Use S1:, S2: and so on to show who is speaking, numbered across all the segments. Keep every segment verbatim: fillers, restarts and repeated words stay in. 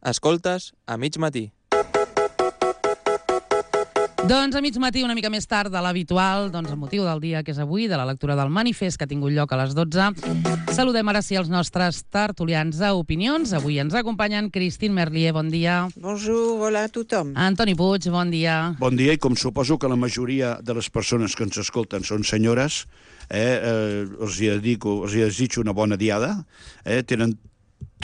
S1: Escoltes a mig matí.
S2: Doncs a mig matí, una mica més tard de l'habitual, doncs el motiu del dia que és avui, de la lectura del manifest que ha tingut lloc a les dotze. Saludem ara sí els nostres tertulians a Opinions. Avui ens acompanyen Christine Merlier, bon dia.
S3: Bonjour, hola a tothom.
S2: Antoni Puig, bon dia.
S4: Bon dia, i com suposo que la majoria de les persones que ens escolten són senyores, eh, eh, els, hi dedico, els hi desitjo una bona diada, eh, tenen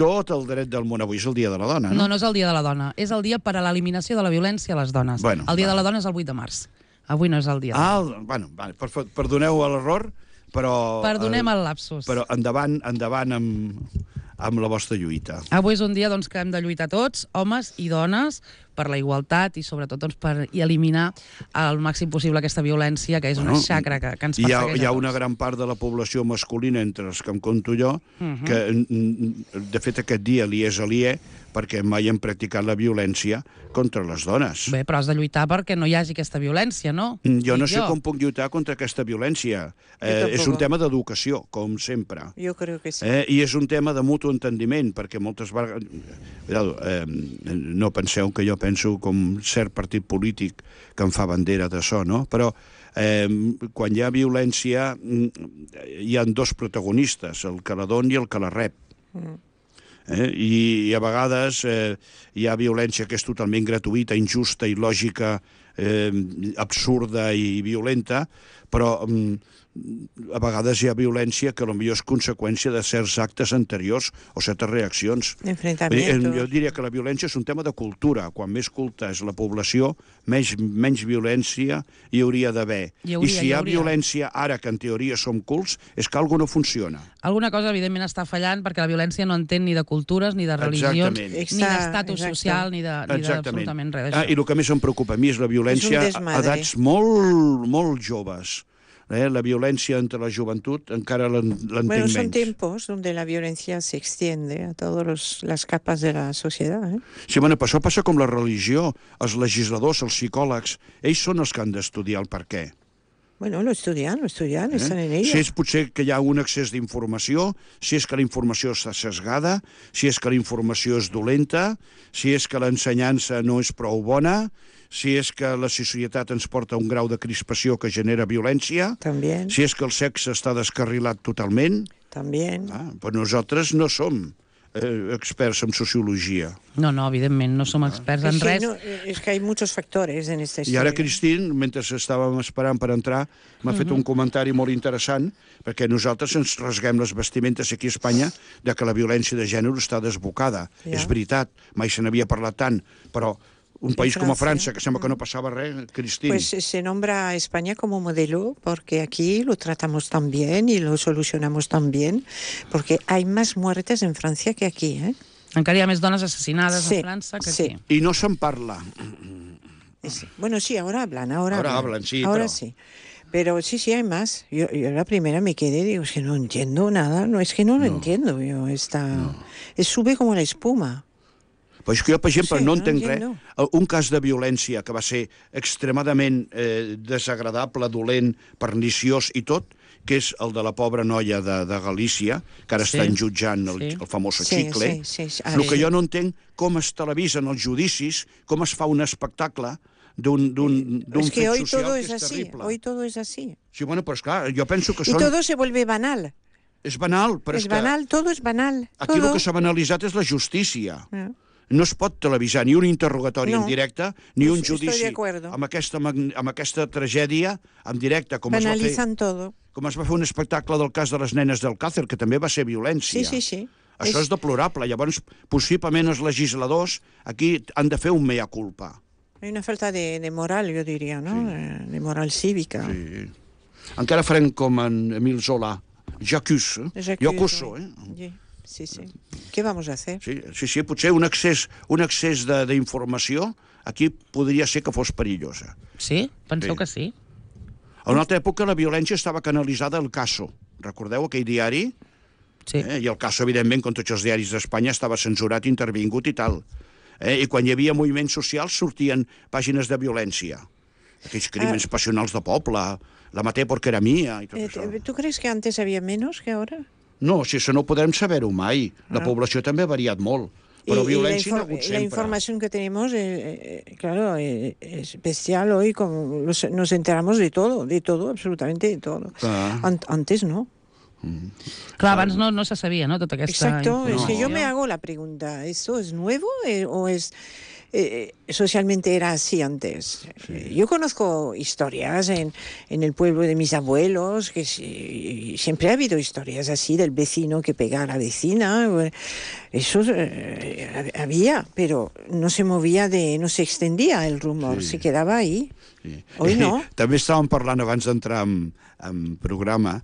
S4: tot el dret del món. Avui és el dia de la dona, no?
S2: No, no és el dia de la dona, és el dia per a l'eliminació de la violència a les dones.
S4: Bueno,
S2: el dia
S4: va.
S2: de la dona és el vuit de març. Avui no és el dia de la dona.
S4: Ah, bueno, vale, per, perdoneu l'error, però...
S2: Perdonem el lapsus.
S4: Però endavant, endavant amb, amb la vostra lluita.
S2: Avui és un dia doncs, que hem de lluitar tots, homes i dones, per la igualtat i sobretot doncs, per eliminar al màxim possible aquesta violència, que és una
S4: Bueno,
S2: xacra que, que ens
S4: hi ha,
S2: persegueix
S4: hi ha
S2: a tots.
S4: una gran part de la població masculina, entre els que em compto jo,
S2: Mhm.
S4: que mm, de fet aquest dia li és aliè perquè mai han practicat la violència contra les dones.
S2: Bé, però has de lluitar perquè no hi hagi aquesta violència, no?
S4: Jo no
S2: Dic
S4: sé com puc lluitar contra aquesta violència. Eh, és un tema d'educació, com sempre.
S3: Jo crec que sí.
S4: Eh, I és un tema de mutu entendiment, perquè moltes vegades... Cuidado, eh, no penseu que jo penso com cert partit polític que em fa bandera d'això, no? Però eh, quan hi ha violència hi ha dos protagonistes, el que la dona i el que la rep.
S3: Mm.
S4: Eh? I, I a vegades eh, hi ha violència que és totalment gratuïta, injusta, il·lògica, eh, absurda i violenta, però mm, a vegades hi ha violència que potser és conseqüència de certs actes anteriors o certes reaccions.
S3: Enfrentamientos.
S4: Jo diria que la violència és un tema de cultura. Quan més culta és la població, menys, menys violència hi hauria d'haver.
S2: Hi hauria,
S4: I si
S2: hi
S4: hi ha
S2: hauria.
S4: violència ara, que en teoria som cults, és que alguna no funciona.
S2: Alguna cosa, evidentment, està fallant perquè la violència no entén ni de cultures, ni de religions,
S4: Exactament.
S2: ni
S3: Exacte,
S2: d'estatus
S3: exacte.
S2: social, ni de- ni d'absolutament res
S4: Ah,
S2: d'això.
S4: I el que més em preocupa a mi és la violència
S3: És un
S4: a
S3: desmadre.
S4: edats molt, molt joves. Eh? La violència entre la joventut encara l'en- l'entenc
S3: Bueno, son
S4: menys.
S3: tiempos donde la violencia se extiende a todas las capas de la sociedad. ¿eh?
S4: Sí, bueno, però això passa com la religió. Els legisladors, els psicòlegs, ells són els que han d'estudiar el per què.
S3: Bueno, lo estudian, lo estudian, están en ello.
S4: Si és potser que hi ha un excés d'informació, si és que la informació està sesgada, si és que la informació és dolenta, si és que l'ensenyança no és prou bona, si és que la societat ens porta a un grau de crispació que genera violència,
S3: También,
S4: si és que el sexe està descarrilat totalment.
S3: también.
S4: Ah, però nosaltres no som eh, experts en sociologia.
S2: No, no, evidentment, no som experts en
S3: Es que,
S2: res.
S3: no, es que hay muchos factores en esta
S4: I
S3: historia.
S4: ara, Christine, mentre estàvem esperant per entrar, m'ha fet un comentari molt interessant, perquè nosaltres ens rasguem les vestimentes aquí a Espanya de que la violència de gènere està desbocada.
S3: Ja.
S4: És veritat, mai se n'havia parlat tant, però un país com a
S3: França.
S4: França, que sembla que no passava res, Christine...
S3: Pues se nombra a España como modelo porque aquí lo tratamos tan bien y lo solucionamos tan bien, porque hay más muertes en Francia que aquí, ¿eh?
S2: Encara hi ha més dones assassinades
S3: Sí,
S2: a França que
S3: sí.
S2: aquí.
S4: I no se'n parla.
S3: Es- Bueno, sí, ahora hablan, ahora,
S4: Ahora
S3: hablan.
S4: hablan, sí,
S3: Ahora
S4: pero-
S3: sí. Pero sí, sí, hay más. Yo, yo la primera me quedé, digo, es que no entiendo nada. No, es que no lo entiendo. Yo, esta... Es sube como la espuma.
S4: Però és que jo, per exemple,
S3: Sí,
S4: no
S3: no
S4: entenc res.
S3: entiendo.
S4: Un cas de violència que va ser extremadament eh, desagradable, dolent, perniciós i tot, que és el de la pobra noia de, de Galícia, que ara
S2: Sí,
S4: estan jutjant el,
S2: sí.
S4: el famós
S3: Sí,
S4: xicle.
S3: sí, sí, sí.
S4: El que
S3: Sí.
S4: jo no entenc com es televisen els judicis, com es fa un espectacle d'un d'un d'un
S3: Es que
S4: fet
S3: hoy
S4: social
S3: todo
S4: que
S3: es
S4: és
S3: así.
S4: terrible.
S3: Hoy todo es así.
S4: Sí, bueno, però esclar, jo penso que
S3: Y
S4: són...
S3: todo se vuelve banal.
S4: És banal, però
S3: Es
S4: és que
S3: banal, todo es banal.
S4: aquí
S3: todo.
S4: el que s'ha banalitzat és la justícia.
S3: Ah.
S4: No es pot televisar ni un interrogatori
S3: No.
S4: en directe, ni un
S3: Estoy de
S4: judici
S3: acuerdo.
S4: amb aquesta, mag- amb aquesta tragèdia en directe, com es, va fer,
S3: Banalizan todo.
S4: com es va fer un espectacle del cas de les nenes del Càcer, que també va ser violència.
S3: Sí, sí, sí.
S4: Això és,
S3: Es-
S4: deplorable. Llavors, possiblement els legisladors aquí han de fer un mea culpa.
S3: Hay una falta de, de moral, yo diría, ¿no? Eh, De moral cívica.
S4: Sí. Encara farem com en Emil Zola. J'accuse. Eh?
S3: J'accuse,
S4: Jo acuso,
S3: oui.
S4: eh?
S3: Sí, sí, sí. ¿Qué vamos a hacer?
S4: Sí, sí, sí, potser un excés, un excés de- d'informació aquí podria ser que fos perillosa.
S2: Sí? Penseu
S4: Sí.
S2: que sí?
S4: A una altra època la violència estava canalitzada al Caso. Recordeu aquell diari?
S2: Sí.
S4: Eh? I el Caso, evidentment, com tots els diaris d'Espanya, estava censurat, intervingut i tal. Eh? I quan hi havia moviments socials sortien pàgines de violència. Aquells crímens passionals de poble, la maté porque era mía i tot
S3: Eh,
S4: això.
S3: ¿Tú crees que antes había menos que ahora?
S4: No, si això no ho podrem saber-ho mai. La
S3: Ah.
S4: població també ha variat molt. Però
S3: y,
S4: violència
S3: y
S4: n'ha
S3: la,
S4: hagut
S3: la
S4: sempre.
S3: información que tenemos, eh, eh, claro, eh, es bestial hoy, como los, nos enteramos de todo, de todo, absolutamente de todo.
S4: Clar.
S3: An- antes no.
S2: Clar, abans no, no se sabia, no?, tota aquesta
S3: Exacto, es que
S2: informació.
S3: yo me hago la pregunta, ¿esto es nuevo eh, o es eh, socialmente era así antes? Eh, Yo conozco historias en, en el pueblo de mis abuelos, que sí, siempre ha habido historias así del vecino que pega a la vecina, eh, eso eh, había, pero no se movía, de, no se extendía el rumor,
S4: Sí.
S3: se quedaba ahí.
S4: Sí.
S3: Hoy no.
S4: També estàvem parlant abans d'entrar en, en programa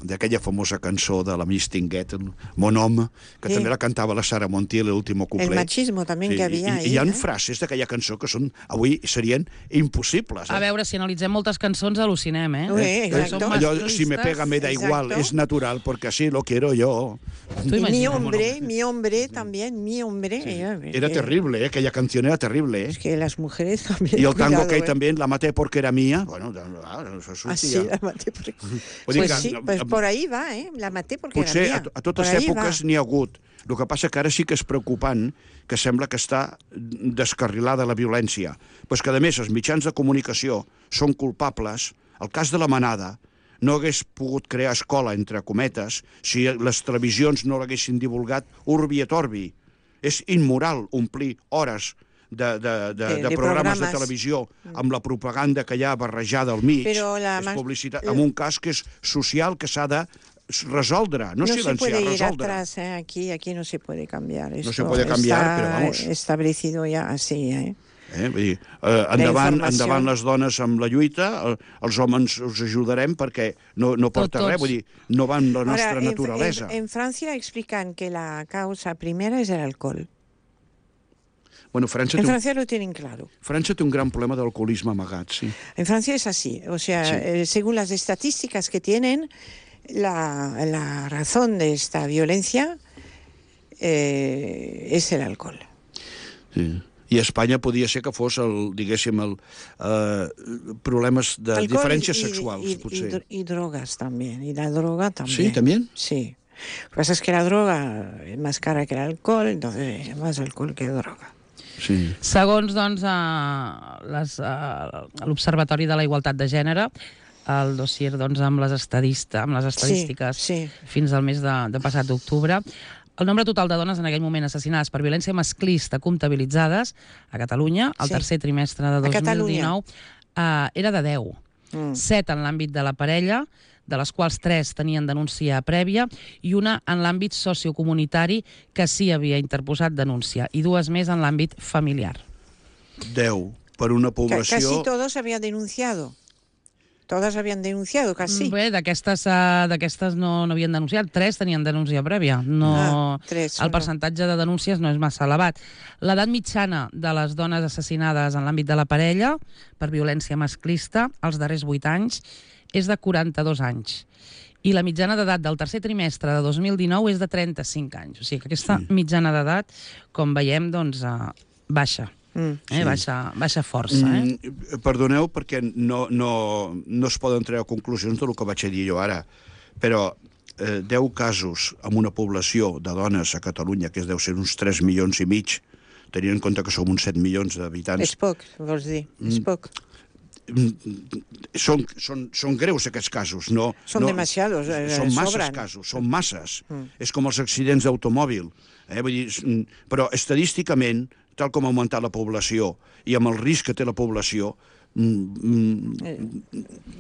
S4: d'aquella famosa cançó de la Miss Tinguet, Mon Home, que
S3: Sí.
S4: també la cantava la Sara Montiel, l'último couplet.
S3: El machismo también que había
S4: i,
S3: ahí,
S4: I hi ha
S3: ¿eh?
S4: frases d'aquella cançó que són, avui serien impossibles. Eh?
S2: A veure, si analitzem moltes cançons, al·lucinem, eh?
S3: Ué,
S4: Eh,
S3: exacto.
S2: Són
S4: allò,
S2: masclistes.
S4: si me pega me da igual,
S3: Exacto.
S4: es natural, porque así lo quiero yo.
S2: Tu
S3: Y mi
S2: imagina't.
S3: hombre, mi hombre también, mi hombre. eh,
S4: Era
S3: que-
S4: terrible, eh? Aquella canción era terrible. Eh?
S3: Es que las mujeres también.
S4: I el tango
S3: cuidado,
S4: aquell
S3: eh.
S4: també, la maté porque era mía. Bueno, ah, això sortia.
S3: Así la maté. Porque...
S4: Vull dir
S3: Pues
S4: que,
S3: sí, pues por ahí va, ¿eh? La maté porque
S4: Potser
S3: era
S4: a,
S3: mía.
S4: a totes
S3: Por ahí
S4: èpoques
S3: va.
S4: n'hi ha hagut. El que passa que ara sí que és preocupant que sembla que està descarrilada la violència. Però és que, a més, els mitjans de comunicació són culpables. El cas de la manada no hagués pogut crear escola, entre cometes, si les televisions no l'haguessin divulgat urbi et orbi. És immoral omplir hores de, de, de,
S3: De-
S4: de
S3: de
S4: programes de
S3: programes.
S4: televisió amb la propaganda que hi ha barrejada al mig.
S3: Però la
S4: és
S3: mas-
S4: publicitat, en un cas que és social, que s'ha de resoldre, no,
S3: No se
S4: silenciar,
S3: puede ir
S4: resoldre.
S3: atrás, ¿eh? Aquí, aquí no se puede cambiar. Esto
S4: se puede cambiar,
S3: está
S4: pero vamos.
S3: establecido ya así, ¿eh?
S4: Eh? Vull dir, eh, endavant,
S3: informació.
S4: endavant les dones amb la lluita, eh, els homes us ajudarem perquè no, no porta
S2: Tots.
S4: res, vull dir, no va amb la nostra
S3: Ahora, en-
S4: naturalesa.
S3: En, en Francia explican que la causa primera es el alcohol.
S4: Bueno, França
S3: En
S4: té, un,
S3: Francia lo tienen claro.
S4: França té un gran problema d'alcoholisme amagat, sí.
S3: En Francia es así. O sea,
S4: Sí.
S3: eh, según las estadísticas que tienen, la, la razón de esta violencia eh, es el alcohol.
S4: sí. I a Espanya podia ser que fos, el, diguéssim, el, eh, problemes de
S3: Alcohol
S4: diferències
S3: y-
S4: sexuals,
S3: y, y,
S4: potser.
S3: dro- y drogas también. Y la droga también.
S4: Sí, también?
S3: Sí. Lo que pasa es que la droga es más cara que el alcohol, entonces es más alcohol que droga.
S4: Sí.
S2: Segons doncs, eh, les, eh, l'Observatori de la Igualtat de Gènere, el dossier doncs, amb, les estadista, amb les estadístiques
S3: sí.
S2: fins al mes de, de passat d'octubre, el nombre total de dones en aquell moment assassinades per violència masclista comptabilitzades a Catalunya, al
S3: Sí.
S2: tercer trimestre de
S3: A
S2: dos mil
S3: Catalunya.
S2: dinou, eh, era de deu.
S3: Mm.
S2: Set en l'àmbit de la parella, de les quals tres tenien denúncia prèvia, i una en l'àmbit sociocomunitari que sí havia interposat denúncia, i dues més en l'àmbit familiar.
S4: deu per una
S3: Ca-
S4: població...
S3: Casi todos habían denunciado. Todas habían denunciado, casi.
S2: Bé, d'aquestes uh, d'aquestes no, no havien denunciat, tres tenien denúncia prèvia. No,
S3: Ah, tres,
S2: el
S3: solo.
S2: percentatge de denúncies no és massa elevat. L'edat mitjana de les dones assassinades en l'àmbit de la parella per violència masclista, els darrers vuit anys, és de quaranta-dos anys. I la mitjana d'edat del tercer trimestre de dos mil dinou és de trenta-cinc anys. O sigui que aquesta
S4: Sí.
S2: mitjana d'edat, com veiem, doncs, uh, baixa.
S3: Mm.
S2: Eh?
S4: Sí.
S2: Baixa, baixa força. Eh?
S4: Mm, perdoneu perquè no, no, no es poden treure conclusions del que vaig a dir jo ara, però eh, deu casos amb una població de dones a Catalunya, que es deu ser uns tres milions i mig, tenint en compte que som uns set milions d'habitants,
S3: És poc, vols dir, és
S4: Mm.
S3: poc.
S4: són, són, són greus aquests casos. No,
S3: Són
S4: no,
S3: demasiados, eh,
S4: Són masses
S3: sobran.
S4: casos, són masses.
S3: Mm.
S4: És com els accidents d'automòbil. Eh? Vull dir, s- mm, però estadísticament, tal com ha augmentat la població i amb el risc que té la població, mm, mm,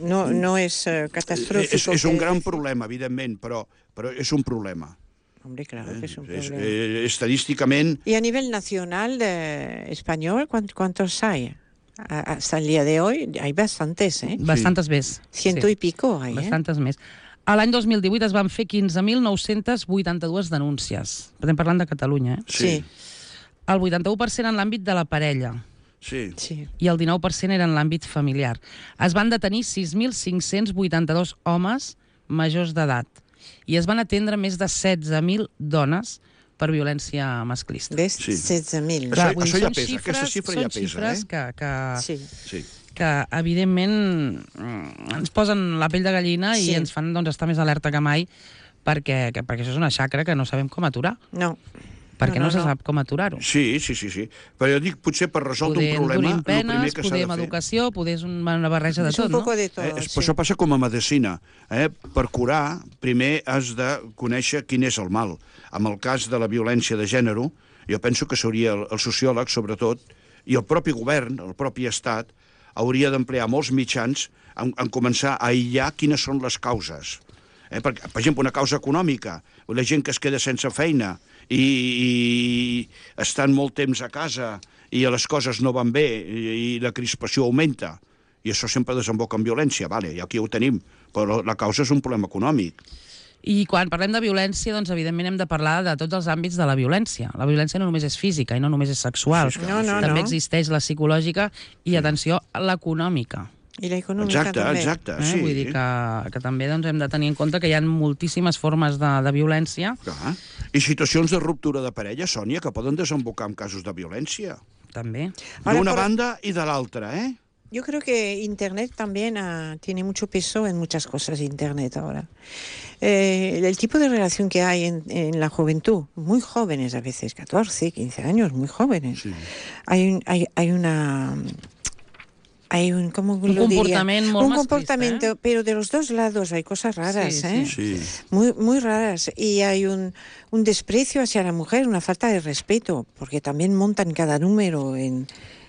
S3: No, no és eh, catastrófico.
S4: és, és un
S3: que-
S4: gran problema, evidentment, però, però és un problema.
S3: Hombre, claro que es un
S4: És,
S3: problema.
S4: eh, estadísticament,
S3: Y a nivel nacional de español, ¿cuán- ¿cuántos hay? A- Hasta el día de hoy hay bastantes, ¿eh?
S2: Bastantes més.
S3: Ciento
S2: Sí.
S3: y pico hay, ¿eh?
S2: Bastantes més. A l'any dos mil divuit es van fer quinze mil nou-cents vuitanta-dues denúncies. Estem parlant de Catalunya, eh?
S4: sí,
S2: El vuitanta-u per cent en l'àmbit de la parella
S4: sí.
S3: Sí.
S2: i el dinou per cent era en l'àmbit familiar. Es van detenir sis mil cinc-cents vuitanta-dos homes majors d'edat i es van atendre més de setze mil dones per violència masclista.
S3: ¿Ves?
S4: Sí.
S3: setze mil.
S4: Això-
S2: Clar, vull dir,
S4: això ja
S2: són
S4: pesa,
S2: xifres,
S4: aquesta xifra
S2: són
S4: ja pesa,
S2: xifres
S4: eh?
S2: que, que,
S3: Sí.
S4: sí.
S2: que evidentment mm, ens posen la pell de gallina
S3: Sí.
S2: i ens fan doncs, estar més alerta que mai perquè, que, perquè això és una xacra que no sabem com aturar.
S3: No.
S2: perquè
S3: No,
S2: no,
S3: no,
S2: se
S3: no.
S2: sap com aturar-ho.
S4: Sí, sí, sí, sí. Però jo dic, potser per resoldre
S2: Poder
S4: un problema,
S2: endurim
S4: el primer
S2: penes,
S4: que s'ha
S2: poder
S4: de
S2: amb
S4: fer...
S2: educació, poder és una barreja de
S3: Es
S2: tot,
S3: un
S2: no?
S3: poco de todo,
S4: Eh,
S3: sí.
S4: Això passa com a medicina. Eh? Per curar, primer has de conèixer quin és el mal. En el cas de la violència de gènere, jo penso que s'hauria, el, el sociòleg, sobretot, i el propi govern, el propi estat, hauria d'emplear molts mitjans en, en començar a aïllar quines són les causes. Eh? Per, per exemple, una causa econòmica, la gent que es queda sense feina i, i estan molt temps a casa i les coses no van bé i, i la crispació augmenta, i això sempre desemboca en violència, vale, i aquí ho tenim, però la causa és un problema econòmic.
S2: I quan parlem de violència, doncs evidentment hem de parlar de tots els àmbits de la violència. La violència no només és física i no només és sexual.
S4: Sí, és
S3: clar, No, no,
S2: També
S3: no.
S2: existeix la psicològica i, atenció, l'econòmica.
S3: I la econòmica
S4: Exacte,
S3: també.
S4: exacte,
S2: Eh?
S4: sí.
S2: Vull dir que, que també doncs, hem de tenir en compte que hi ha moltíssimes formes de, de violència.
S4: Clar. I situacions de ruptura de parella, Sònia, que poden desembocar en casos de violència.
S2: També.
S3: Ahora,
S4: D'una
S3: por-
S4: banda i de l'altra, eh?
S3: Yo creo que Internet también ah, tiene mucho peso en muchas cosas, Internet ahora. Eh, el tipo de relación que hay en, en la juventud, muy jóvenes a veces, catorce, quince años, muy jóvenes.
S4: Sí.
S3: Hay, un, hay, hay una... Hay un, ¿cómo
S2: Un
S3: lo diría?
S2: comportament molt
S3: Un
S2: masclista,
S3: comportamiento,
S2: eh?
S3: pero de los dos lados hay cosas raras,
S2: Sí,
S3: ¿eh?
S2: sí.
S4: Sí.
S3: Muy, muy raras. Y hay un, un desprecio hacia la mujer, una falta de respeto, porque también montan cada número en,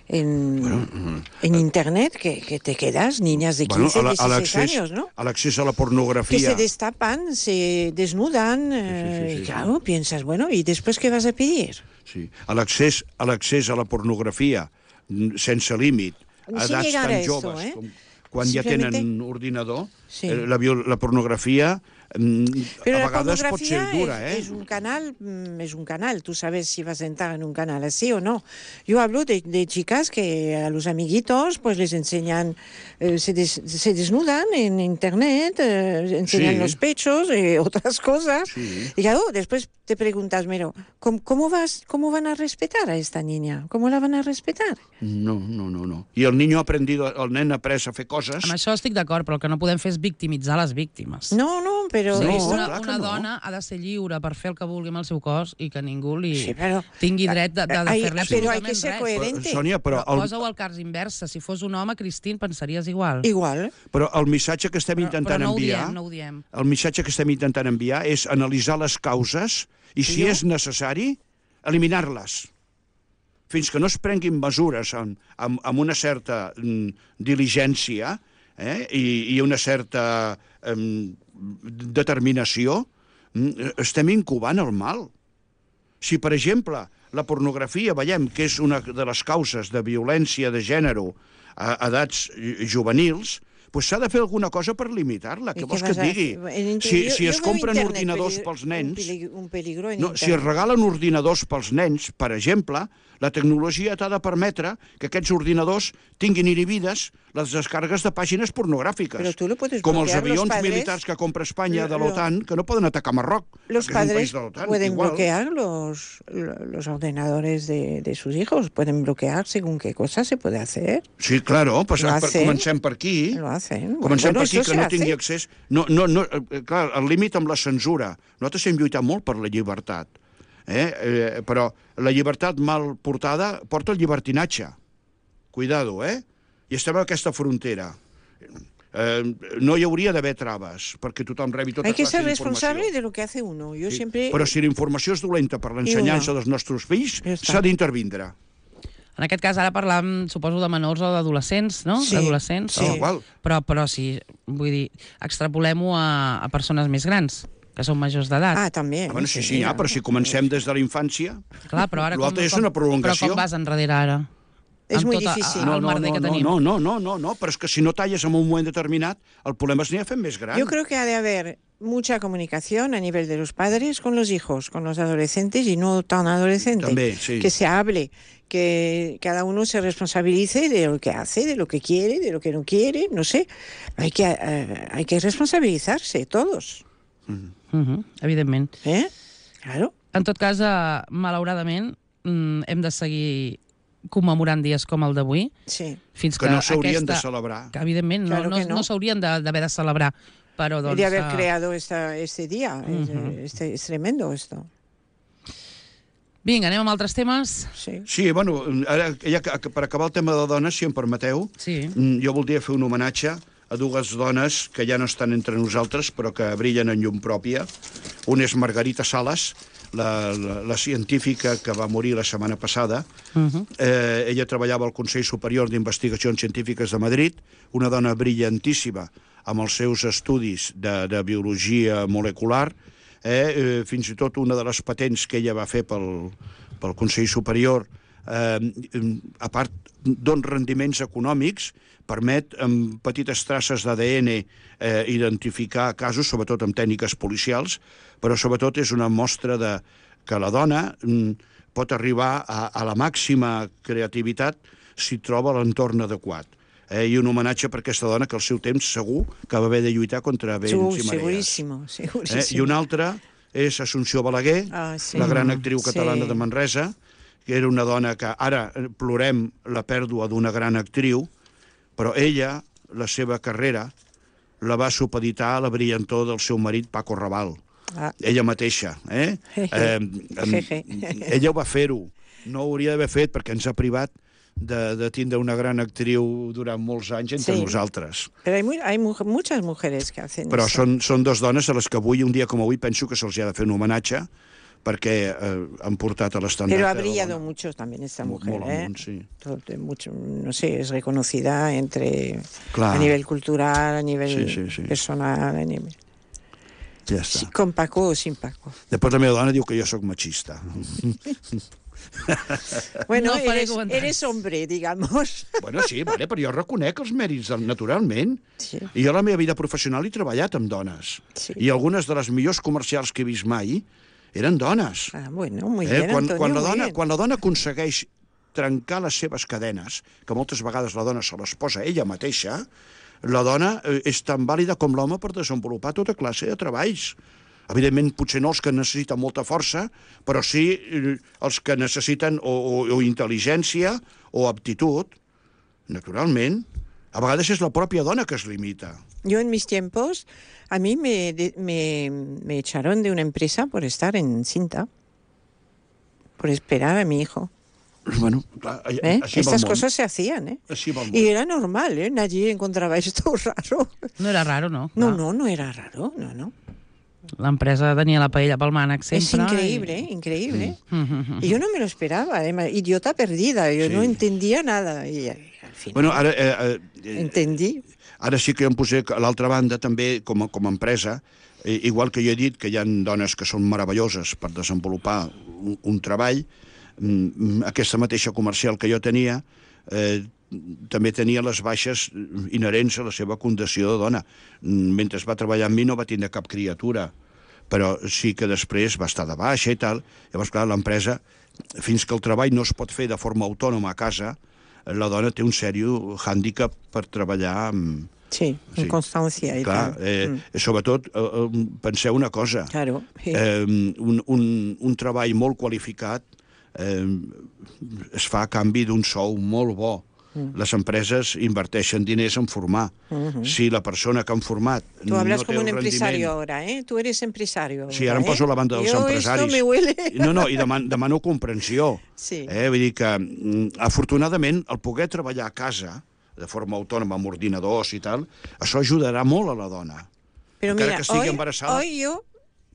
S3: en, en Internet que, que te quedas, niñas de quince,
S4: a la- a
S3: dieciséis
S4: l'accés
S3: años, ¿no?
S4: a l'accés a la
S3: Que
S4: pornografia...
S3: se destapan, se desnudan, eh,
S4: sí, sí,
S3: y
S4: sí.
S3: claro, piensas, bueno, ¿y después qué vas a pedir?
S4: Sí. A l'accés a l'accés a la pornografia mm, sense límit, a
S3: Sin
S4: edats
S3: llegar
S4: tan
S3: a eso,
S4: joves
S3: ¿eh?
S4: com quan ja
S3: Simplemente-
S4: tenen ordinador,
S3: Sí.
S4: eh, la, viol- la pornografia mm,
S3: Pero
S4: a
S3: la
S4: vegades pot ser
S3: pornografía
S4: dura,
S3: es,
S4: eh?
S3: es un canal, mm, es un canal. Tú sabes si vas a entrar en un canal así o no. Yo hablo de, de chicas que a los amiguitos pues les enseñan, eh, se, des- se desnudan en internet, eh, enseñan
S4: Sí.
S3: los pechos y otras cosas.
S4: Sí.
S3: Y claro, después te preguntas, miro, ¿cómo, cómo vas, ¿cómo van a respetar a esta niña? ¿Cómo la van a respetar?
S4: No, no, no, no. I el niño ha aprendido, el nen ha après a fer coses...
S2: Amb això estic d'acord, però el que no podem fer és victimitzar les víctimes.
S3: No, no, pero...
S2: Sí,
S4: No,
S2: una,
S4: clar que
S2: una
S4: no.
S2: dona ha de ser lliure per fer el que vulgui amb el seu cos i que ningú li
S3: Sí, però-
S2: tingui dret de, de, de
S3: Hay-
S2: fer-li
S3: pero hay
S2: absolutament
S3: que ser
S2: res.
S3: coherente.
S4: Sònia, però,
S2: Però
S4: el,
S2: posa-ho al cas inversa. Si fos un home, Cristín, pensaries igual.
S3: Igual.
S4: però el missatge que estem
S2: Però, però
S4: intentant
S2: no ho
S4: enviar...
S2: diem, no ho diem.
S4: El missatge que estem intentant enviar és analitzar les causes i, si
S3: Jo-
S4: és necessari, eliminar-les. Fins que no es prenguin mesures amb, amb, amb una certa mm, diligència eh, i, i una certa mm, determinació, mm, estem incubant el mal. Si, per exemple, la pornografia veiem que és una de les causes de violència de gènere a edats juvenils, pues s'ha de fer alguna cosa per limitar-la. Què
S3: ¿Y
S4: vols
S3: qué
S4: que et
S3: vas a
S4: digui?
S3: hacer? En inter-
S4: Si,
S3: yo-
S4: si
S3: yo
S4: es
S3: veo
S4: compren
S3: Internet
S4: ordinadors
S3: peligro-
S4: pels
S3: un
S4: nens...
S3: peli- Un peligro en
S4: No, si es
S3: Internet.
S4: regalen ordinadors pels nens, per exemple, la tecnologia t'ha de permetre que aquests ordinadors tinguin inhibides les descargues de pàgines pornogràfiques.
S3: Però tu lo puedes
S4: com els
S3: bloquear, los
S4: avions
S3: padres-
S4: militars que compra Espanya de
S3: Lo-
S4: l'OTAN, que no poden atacar Marroc,
S3: Los
S4: que és un país
S3: padres
S4: de l'OTAN.
S3: pueden
S4: Igual.
S3: bloquear los, los ordenadores de, de sus hijos, pueden bloquear según qué cosa se puede hacer.
S4: Sí, claro, pues,
S3: Lo
S4: per,
S3: hacen.
S4: comencem per aquí.
S3: Lo hacen.
S4: Comencem
S3: Bueno,
S4: per aquí,
S3: eso
S4: que
S3: se
S4: no tingui
S3: hace.
S4: accés... No, no, no, eh, clar, el límit amb la censura. Nosaltres hem lluitat molt per la llibertat, eh? Eh, però la llibertat mal portada porta el llibertinatge. Cuidado, eh? I estem a aquesta frontera. Eh, no hi hauria d'haver traves perquè tothom rebi tota
S3: Hay que
S4: classe
S3: ser
S4: d'informació.
S3: responsable de lo que hace uno. Yo
S4: Sí,
S3: siempre...
S4: Però si la informació és dolenta per l'ensenyança
S3: una.
S4: dels nostres fills,
S3: Ja està.
S4: s'ha d'intervindre.
S2: En aquest cas, ara parlàvem, suposo, de menors o d'adolescents, no?
S3: Sí.
S2: D'adolescents.
S3: Sí.
S2: o-
S4: Igual.
S2: Però, però sí, vull dir, extrapolem-ho a, a persones més grans, que són majors d'edat.
S3: Ah, también.
S4: Ah, bueno, sí, sí, ja, però si comencem des de la infància...
S2: Clar, però ara
S4: L'altre és una prolongació.
S2: Però com vas enrere ara?
S3: És
S2: Amb
S3: muy
S2: tot
S3: difícil.
S2: El
S4: No, no,
S2: merder
S4: no,
S2: que
S4: no,
S2: tenim.
S4: no, no, no, no, no, però és que si no talles en un moment determinat, el problema es n'hi fent més gran.
S3: Yo creo que ha de haber mucha comunicación a nivel de los padres con los hijos, con los adolescentes y no tan adolescentes.
S4: También, sí.
S3: Que se hable, que cada uno se responsabilice de lo que hace, de lo que quiere, de lo que no quiere, no sé. Hay que, eh, hay que responsabilizarse todos.
S2: Uh-huh, evidentment.
S3: ¿Eh? Claro.
S2: En tot cas, eh, malauradament, mm, hem de seguir commemorant dies com el d'avui,
S3: Sí.
S2: fins que,
S4: Que no s'haurien
S2: aquesta...
S4: de celebrar.
S2: Que, evidentment,
S3: Claro
S2: no,
S3: que
S2: no,
S3: no.
S2: no s'haurien de- d'haver de, de celebrar, però, doncs...
S3: de haber
S2: eh,
S3: creado esta, este día. Es-
S2: Ujú.
S3: este- es tremendo esto.
S2: Vinga, anem amb altres temes?
S3: Sí.
S4: Sí, bueno, ara, ja, que- per acabar el tema de dones, si em permeteu,
S2: Sí.
S4: mm, jo voldria fer un homenatge a dues dones que ja no estan entre nosaltres, però que brillen en llum pròpia. Una és Margarita Salas, la, la, la científica que va morir la setmana passada.
S2: Uh -huh.
S4: Eh, ella treballava al Consell Superior d'Investigacions Científiques de Madrid, una dona brillantíssima amb els seus estudis de, de biologia molecular, eh, eh, fins i tot una de les patents que ella va fer pel, pel Consell Superior, eh, a part d'uns rendiments econòmics, permet amb petites traces d'A D N eh, identificar casos, sobretot amb tècniques policials, però sobretot és una mostra de que la dona mm, pot arribar a, a la màxima creativitat si troba l'entorn adequat. Eh, I un homenatge per aquesta dona que al seu temps segur que va haver de lluitar contra vents
S3: Segur,
S4: i marees.
S3: seguríssimo, segurísimo.
S4: Eh? I una altra és Assumpció Balaguer,
S3: Ah, sí.
S4: la gran actriu
S3: Sí.
S4: catalana de Manresa, que era una dona que ara plorem la pèrdua d'una gran actriu, però ella, la seva carrera, la va supeditar a la brillantor del seu marit Paco Raval.
S3: Ah.
S4: Ella mateixa. Eh?
S3: Jeje.
S4: eh, em, ella ho va fer-ho. No ho hauria d'haver fet perquè ens ha privat de, de tindre una gran actriu durant molts anys entre
S3: Sí.
S4: nosaltres.
S3: Pero hay, muy, hay mu muchas mujeres que hacen
S4: Però
S3: eso.
S4: són, són dos dones a les que avui, un dia com avui, penso que se'ls ha de fer un homenatge perquè eh, han portat a l'estandard.
S3: Pero ha brillado mucho también esta mujer,
S4: Molt
S3: ¿eh?
S4: amunt, sí.
S3: Todo- mucho, no sé, es reconocida entre
S4: Clar.
S3: a nivel cultural, a nivel
S4: Sí, sí, sí.
S3: personal, a nivel...
S4: Ja
S3: Sí,
S4: està.
S3: con Paco o sin Paco.
S4: Després la meva dona diu que jo sóc machista.
S3: Bueno,
S2: No faré
S3: eres,
S2: comentaris.
S3: eres hombre, digamos.
S4: Bueno, sí, vale, però jo reconec els mèrits del- naturalment.
S3: Sí.
S4: I jo a la meva vida professional he treballat amb dones.
S3: Sí.
S4: I algunes de les millors comercials que he vist mai eren dones.
S3: Ah, bueno, muy
S4: Eh,
S3: bien,
S4: quan,
S3: Antonio,
S4: quan, la
S3: muy
S4: dona,
S3: bien.
S4: quan la dona aconsegueix trencar les seves cadenes, que moltes vegades la dona se les posa ella mateixa, la dona eh, és tan vàlida com l'home per desenvolupar tota classe de treballs. Evidentment, potser no els que necessiten molta força, però sí eh, els que necessiten o, o, o intel·ligència o aptitud. Naturalment, a vegades és la pròpia dona que es limita.
S3: Yo en mis tiempos, a mí me, de- me, me echaron de una empresa por estar encinta, por esperar a mi hijo.
S4: Bueno, clar, a-
S3: ¿eh?
S4: així va el
S3: Estas
S4: món.
S3: cosas se hacían, ¿eh?
S4: Així va el món.
S3: Y era normal, ¿eh? Nadie encontraba esto raro.
S2: No era raro, no?
S3: No,
S2: Clar.
S3: no, no era raro, no, no.
S2: L'empresa tenia la paella pel mànec
S3: Es
S2: sempre.
S3: increíble, ¿eh? Increíble.
S2: I... Mm -hmm.
S3: Y yo no me lo esperaba, además, idiota perdida, yo
S4: Sí.
S3: no entendía nada. Y al final
S4: Bueno, ara, eh, eh,
S3: entendí.
S4: ara sí que em posé a l'altra banda també com a, com a empresa, eh, igual que jo he dit que hi ha dones que són meravelloses per desenvolupar un, un treball, mm, aquesta mateixa comercial que jo tenia eh, també tenia les baixes inherents a la seva condició de dona. Mm, Mentre va treballar amb mi no va tindre cap criatura, però sí que després va estar de baixa i tal. Llavors, clar, l'empresa, fins que el treball no es pot fer de forma autònoma a casa, la dona té un sèrio hàndicap per treballar amb...
S3: Sí,
S4: Sí.
S3: en constancia y
S4: Clar,
S3: tal.
S4: eh,
S3: Mm,
S4: sobretot, eh, eh, penseu una cosa,
S3: claro.
S4: eh, un, un, un treball molt qualificat eh, es fa a canvi d'un sou molt bo.
S3: Mm.
S4: Les empreses inverteixen diners en formar.
S3: Mhm.
S4: Si la persona que han format
S3: Tú hablas
S4: no té
S3: como un
S4: el
S3: empresario
S4: rendiment...
S3: ahora, ¿eh? Tú eres empresario.
S4: Sí, ara
S3: ahora,
S4: em poso
S3: ¿eh?
S4: a la banda dels
S3: Yo
S4: empresaris.
S3: Esto me huele.
S4: No, no, i demano, demano comprensió.
S3: Sí.
S4: Eh? Vull dir que, mm, afortunadament, el poder treballar a casa, de forma autònoma, amb ordinadors i tal, això ajudarà molt a la dona.
S3: Pero
S4: encara
S3: mira,
S4: que estigui
S3: hoy,
S4: embarassada.
S3: hoy yo,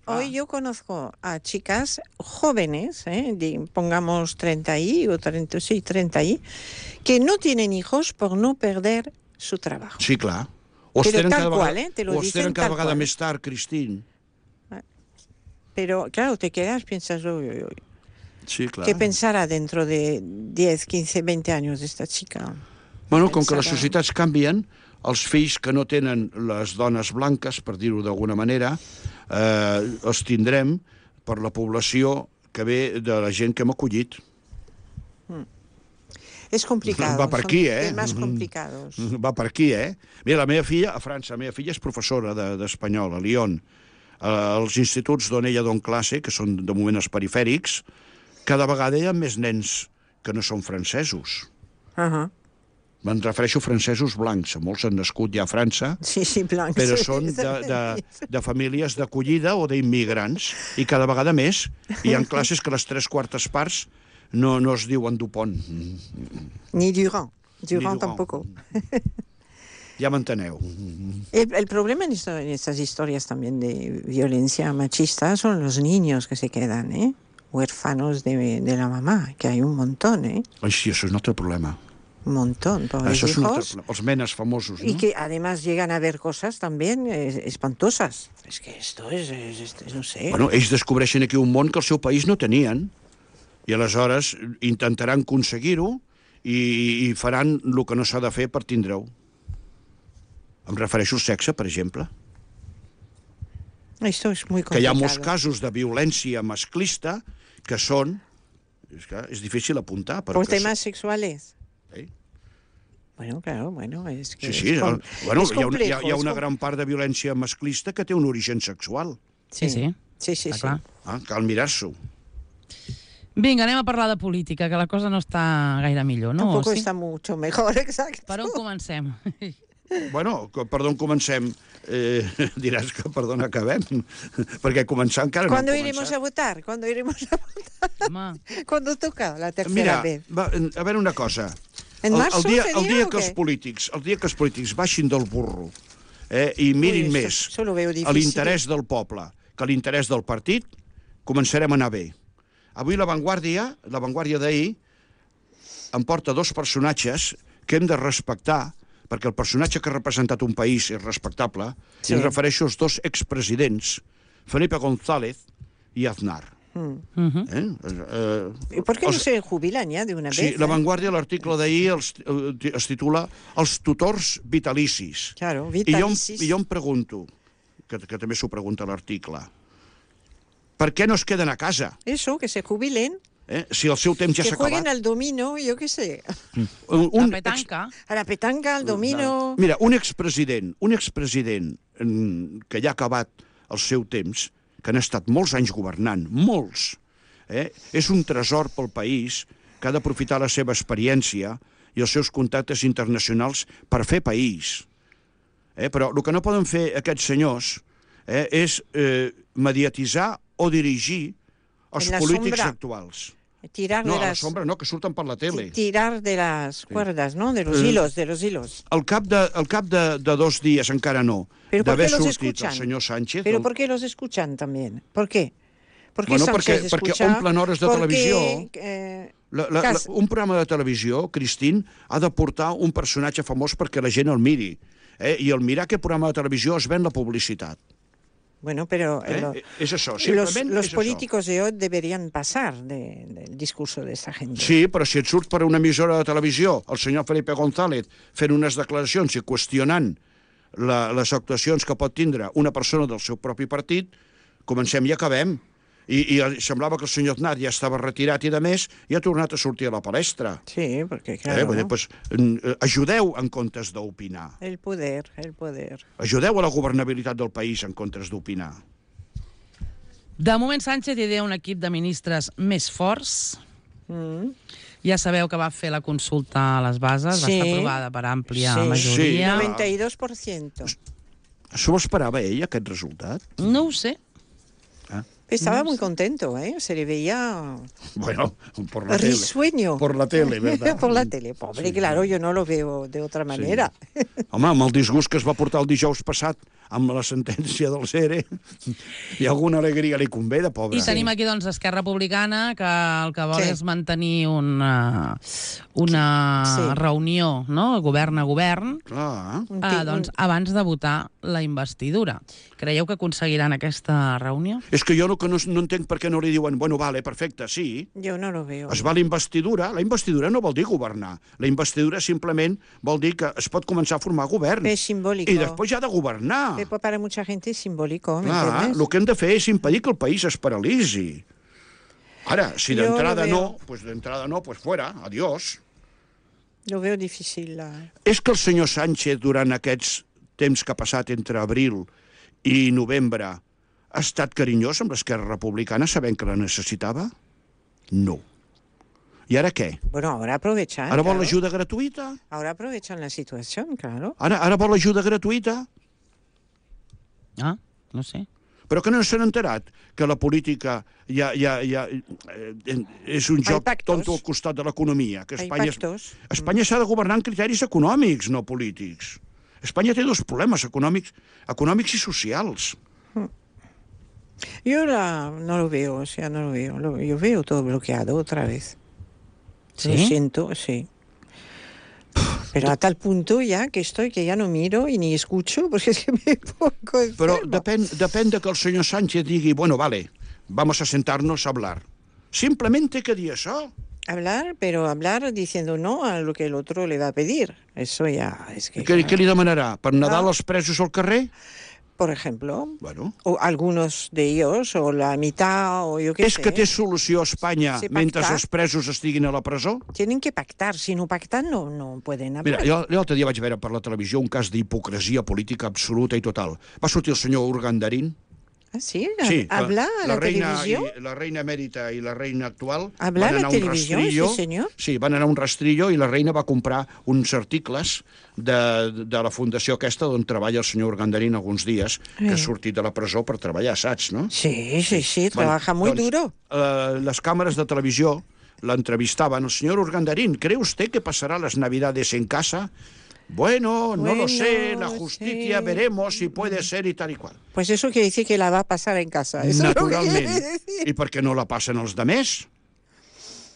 S3: hoy
S4: Ah.
S3: yo conozco a chicas jóvenes, ¿eh? Di- pongamos treinta y o treinta, sí, treinta y, que no tienen hijos por no perder su trabajo.
S4: Sí, clar. O
S3: Però
S4: tenen
S3: tal
S4: cada
S3: qual,
S4: vegada,
S3: eh? Te lo
S4: o es
S3: dicen
S4: tenen cada
S3: tal
S4: vegada
S3: qual.
S4: més tard, Cristín.
S3: Pero claro, te quedas, piensas, uy, uy, uy,
S4: Sí, clar.
S3: ¿qué pensará dentro de diez, quince, veinte años de esta chica?
S4: Bueno, com que les
S3: Pensarà.
S4: societats canvien, els fills que no tenen les dones blanques, per dir-ho d'alguna manera, eh, els tindrem per la població que ve de la gent que hem acollit.
S3: Es complicado.
S4: Va per
S3: son
S4: aquí, eh?
S3: temas
S4: Mhm.
S3: complicados.
S4: Va per aquí, eh? Mira, la meva filla, a França, la meva filla és professora de- d'espanyol, a Lyon. Eh, als instituts d'on ella don classe, que són de moment els perifèrics, cada vegada hi ha més nens que no són francesos.
S3: Ajá.
S4: Me'n refereixo a francesos blancs, molts han nascut ja a França,
S3: Sí, sí, blancs.
S4: però són de, de, de famílies d'acollida o d'immigrants, i cada vegada més hi ha classes que les tres quartes parts no, no es diuen Dupont.
S3: Ni Durand. Durand
S4: Durand.
S3: tampoco.
S4: Ja m'enteneu.
S3: El, el problema en, esto, en estas historias también de violencia machista son los niños que se quedan, ¿eh? Huérfanos de, de la mamá, que hay un montón, ¿eh?
S4: Ai, sí, això és un altre problema.
S3: Un montón, pobres
S4: Això és un altre
S3: hijos.
S4: problema. Els menes famosos,
S3: Y
S4: no?
S3: que además llegan a ver cosas también eh, espantosas. Es que esto es, es, es, es no sé.
S4: Bueno, ells descobreixen aquí un món que al seu país no tenien, i aleshores intentaran aconseguir-ho i, i faran el que no s'ha de fer per tindre-ho. Em refereixo al sexe, per exemple.
S3: Esto es muy
S4: Que hi ha
S3: complicado.
S4: molts casos de violència masclista que són... És, que és difícil apuntar, però...
S3: Por
S4: que
S3: temas sexuales.
S4: Sí.
S3: Bueno, claro, bueno, es que
S4: Sí, sí,
S3: es, com-
S4: el, bueno,
S3: es
S4: hi ha, una, hi, ha,
S3: complejo,
S4: hi ha
S3: es
S4: una
S3: com-
S4: gran part de violència masclista que té un origen sexual.
S2: Sí, sí.
S3: Sí, sí,
S2: Està
S3: sí.
S2: clar.
S4: Ah, cal mirar-s'ho.
S2: Vinga, anem a parlar de política, que la cosa no està gaire millor, no?
S3: Tampoco
S2: O sí?
S3: está mucho mejor, exacto.
S2: Per on comencem?
S4: Bueno, que, per d'on comencem? Eh, diràs que per d'on acabem, perquè començar encara
S3: ¿Cuándo
S4: no hem
S3: iremos
S4: començat.
S3: a votar? ¿Cuándo iremos a votar?
S2: Home,
S3: ¿Cuándo toca la tercera
S4: Mira,
S3: vez?
S4: va, a veure una cosa.
S3: En
S4: El,
S3: marzo
S4: el dia,
S3: seria
S4: el dia
S3: o
S4: que els
S3: què?
S4: polítics, el dia que els polítics baixin del burro eh, i mirin
S3: Ui,
S4: més
S3: això- això lo veo
S4: a
S3: difícil.
S4: l'interès del poble que a l'interès del partit, començarem a anar bé. Avui la Vanguardia, la Vanguardia d'ahir, em porta dos personatges que hem de respectar, perquè el personatge que ha representat un país és respectable,
S3: Sí.
S4: i em refereixo als dos expresidents, Felipe González i Aznar.
S2: uh
S4: Eh? Eh,
S3: ¿Y por qué no
S4: els-
S3: se jubilan ya de una
S4: Sí,
S3: vez?
S4: la
S3: eh?
S4: Vanguardia, l'article d'ahir els- eh, es titula Els tutors vitalicis.
S3: Claro,
S4: I jo, em-
S3: vitalicis.
S4: I jo em pregunto, que, que també s'ho pregunta l'article, per què no es queden a casa?
S3: Eso, que se jubilen,
S4: Eh? Si el seu temps ja
S3: que
S4: s'ha
S3: jueguen
S4: acabat.
S3: al domino, yo qué sé,
S4: Un,
S2: la
S4: un
S2: petanca.
S3: a la petanca, al domino...
S4: Mira, un expresident, un expresident mm, que ja ha acabat el seu temps, que han estat molts anys governant, molts, eh? és un tresor pel país que ha d'aprofitar la seva experiència i els seus contactes internacionals per fer país. Eh? Però el que no poden fer aquests senyors eh, és eh, mediatitzar o dirigir els
S3: En la
S4: polítics
S3: sombra.
S4: actuals.
S3: Tirar
S4: No,
S3: de
S4: a la
S3: las...
S4: sombra no, que surten per la tele.
S3: Tirar de las cuerdas, ¿no? De los
S4: Eh,
S3: hilos, de los hilos.
S4: Al cap de, al cap de, de dos dies, encara no,
S3: Pero ¿por
S4: d'haver
S3: qué los
S4: sortit
S3: escuchan?
S4: el senyor Sánchez...
S3: ¿Pero
S4: el-
S3: por qué los escuchan también? ¿Por qué? ¿Por qué
S4: Bueno,
S3: Sánchez
S4: perquè- perquè
S3: escucha?
S4: omplen hores de
S3: Porque,
S4: televisió.
S3: eh,
S4: La, la, la,
S3: cas-
S4: un programa de televisió, Cristín, ha de portar un personatge famós perquè la gent el miri. Eh? I al mirar aquest programa de televisió es ven la publicitat.
S3: Bueno, pero
S4: Eh?
S3: lo-
S4: és això,
S3: los,
S4: simplement
S3: los
S4: és
S3: políticos de hoy deberían pasar de- del discurso de esta gente.
S4: això. Sí, però si et surt per una emissora de televisió el senyor Felipe González fent unes declaracions i qüestionant la, les actuacions que pot tindre una persona del seu propi partit, comencem i acabem. I, i semblava que el senyor Aznar ja estava retirat i de més, i ha tornat a sortir a la palestra.
S3: Sí, porque
S4: Eh?
S3: claro,
S4: Vull dir, pues, eh, ajudeu en comptes d'opinar.
S3: el poder, el poder.
S4: Ajudeu a la governabilitat del país en comptes d'opinar.
S2: De moment, Sánchez idea un equip de ministres més forts.
S3: Mm.
S2: Ja sabeu que va fer la consulta a les bases, va
S3: Sí.
S2: estar aprovada per àmplia
S3: Sí.
S2: majoria.
S4: Sí.
S3: noventa y dos por ciento.
S4: S'ho esperava ell, aquest resultat?
S2: No ho sé.
S3: Estaba
S2: No
S3: muy
S2: sé.
S3: contento, ¿eh? Se le veía
S4: Bueno, por la tele.
S3: risueño.
S4: Por la tele, ¿verdad?
S3: Por la tele. Pobre,
S4: Sí.
S3: claro, yo no lo veo de otra manera.
S4: Home, amb el disgust que es va portar el dijous passat amb la sentència del C E R E, i alguna alegria li convé, de pobre.
S2: I tenim aquí, doncs, Esquerra Republicana, que el que vol
S3: Sí.
S2: és mantenir una, una
S3: Sí.
S2: reunió, no?, govern a govern,
S4: Clar.
S3: Un
S2: eh,
S3: ti-
S2: doncs,
S3: un-
S2: abans de votar la investidura. Creieu que aconseguiran aquesta reunió?
S4: És que jo no, que no, no entenc per què no li diuen, bueno, vale, perfecte, sí,
S3: Yo no lo veo.
S4: es va la investidura. La investidura no vol dir governar. La investidura simplement vol dir que es pot començar a formar govern.
S3: Es simbólico.
S4: I després ja ha de governar.
S3: Pero para mucha gente es simbólico, ¿me
S4: Clar,
S3: entiendes?
S4: el que hem de fer és impedir que el país es paralitzi. Ara, si
S3: Jo
S4: d'entrada
S3: lo
S4: no,
S3: veo.
S4: pues d'entrada no, pues fuera, adiós.
S3: Lo veo difícil. La...
S4: És que el senyor Sánchez, durant aquests temps que ha passat entre abril i novembre, ha estat carinyós amb l'Esquerra Republicana sabent que la necessitava? No. I ara què?
S3: Bueno, ahora aprovechan.
S4: Ara vol
S3: claro.
S4: ajuda gratuïta?
S3: Ahora aprovechan la situación, claro.
S4: Ara, ara vol ajuda gratuïta?
S2: Ah, no sé.
S4: Però que no s'han enterat que la política ja, ja, ja, eh, és un joc
S3: pactos.
S4: tonto al costat de l'economia. Que
S3: Hay
S4: Espanya,
S3: pactos.
S4: Espanya s'ha de governar en criteris econòmics, no polítics. Espanya té dos problemes econòmics, econòmics i socials.
S3: Yo la, no lo veo, o sea, no lo veo. Lo- yo veo todo bloqueado otra vez.
S2: ¿Sí?
S3: Lo siento, sí. Pero a tal punto ya que estoy que ya no miro y ni escucho porque es que me pongo enfermo.
S4: Però depèn, depèn de que el senyor Sánchez digui, bueno, vale, vamos a sentarnos a hablar. Simplement té que dir això.
S3: Hablar, pero hablar diciendo no a lo que el otro le va a pedir. Eso ya es que...
S4: Què, què li demanarà? Per Nadal
S3: Ah.
S4: els presos al carrer?
S3: Por ejemplo,
S4: Bueno,
S3: o algunos de ellos, o la mitad, o yo qué
S4: és
S3: sé.
S4: que té solució a Espanya
S3: Sí,
S4: mentre
S3: pactar.
S4: els presos estiguin a la presó?
S3: Tienen que pactar. Si no pactan, no, no pueden hablar.
S4: Mira, jo l'altre dia vaig veure per la televisió un cas d'hipocresia política absoluta i total. Va sortir el senyor Urgandarín.
S3: ¿Ah, sí?
S4: Sí,
S3: ¿Habla a la,
S4: reina,
S3: televisión?
S4: i, la reina emèrita i la reina actual
S3: ¿Habla
S4: van
S3: a la
S4: anar a un
S3: televisión,
S4: rastrillo.
S3: ese señor?
S4: Sí, van anar a un rastrillo i la reina va comprar uns articles de, de la fundació aquesta on treballa el senyor Urgandarín alguns dies, que ha
S3: Eh.
S4: sortit de la presó per treballar, saps, no?
S3: Sí, sí, sí,
S4: Bueno,
S3: trabaja muy
S4: doncs,
S3: duro.
S4: eh, les càmeres de televisió l'entrevistaven. El senyor Urgandarín, ¿cree usted que pasará las navidades en casa? Bueno, no
S3: Bueno,
S4: lo sé, la justicia
S3: sí.
S4: veremos si puede ser y tal y cual.
S3: Pues eso quiere decir que la va a pasar en casa. Eso es lo que quiere
S4: Naturalment.
S3: decir.
S4: I per què no la passen els demés?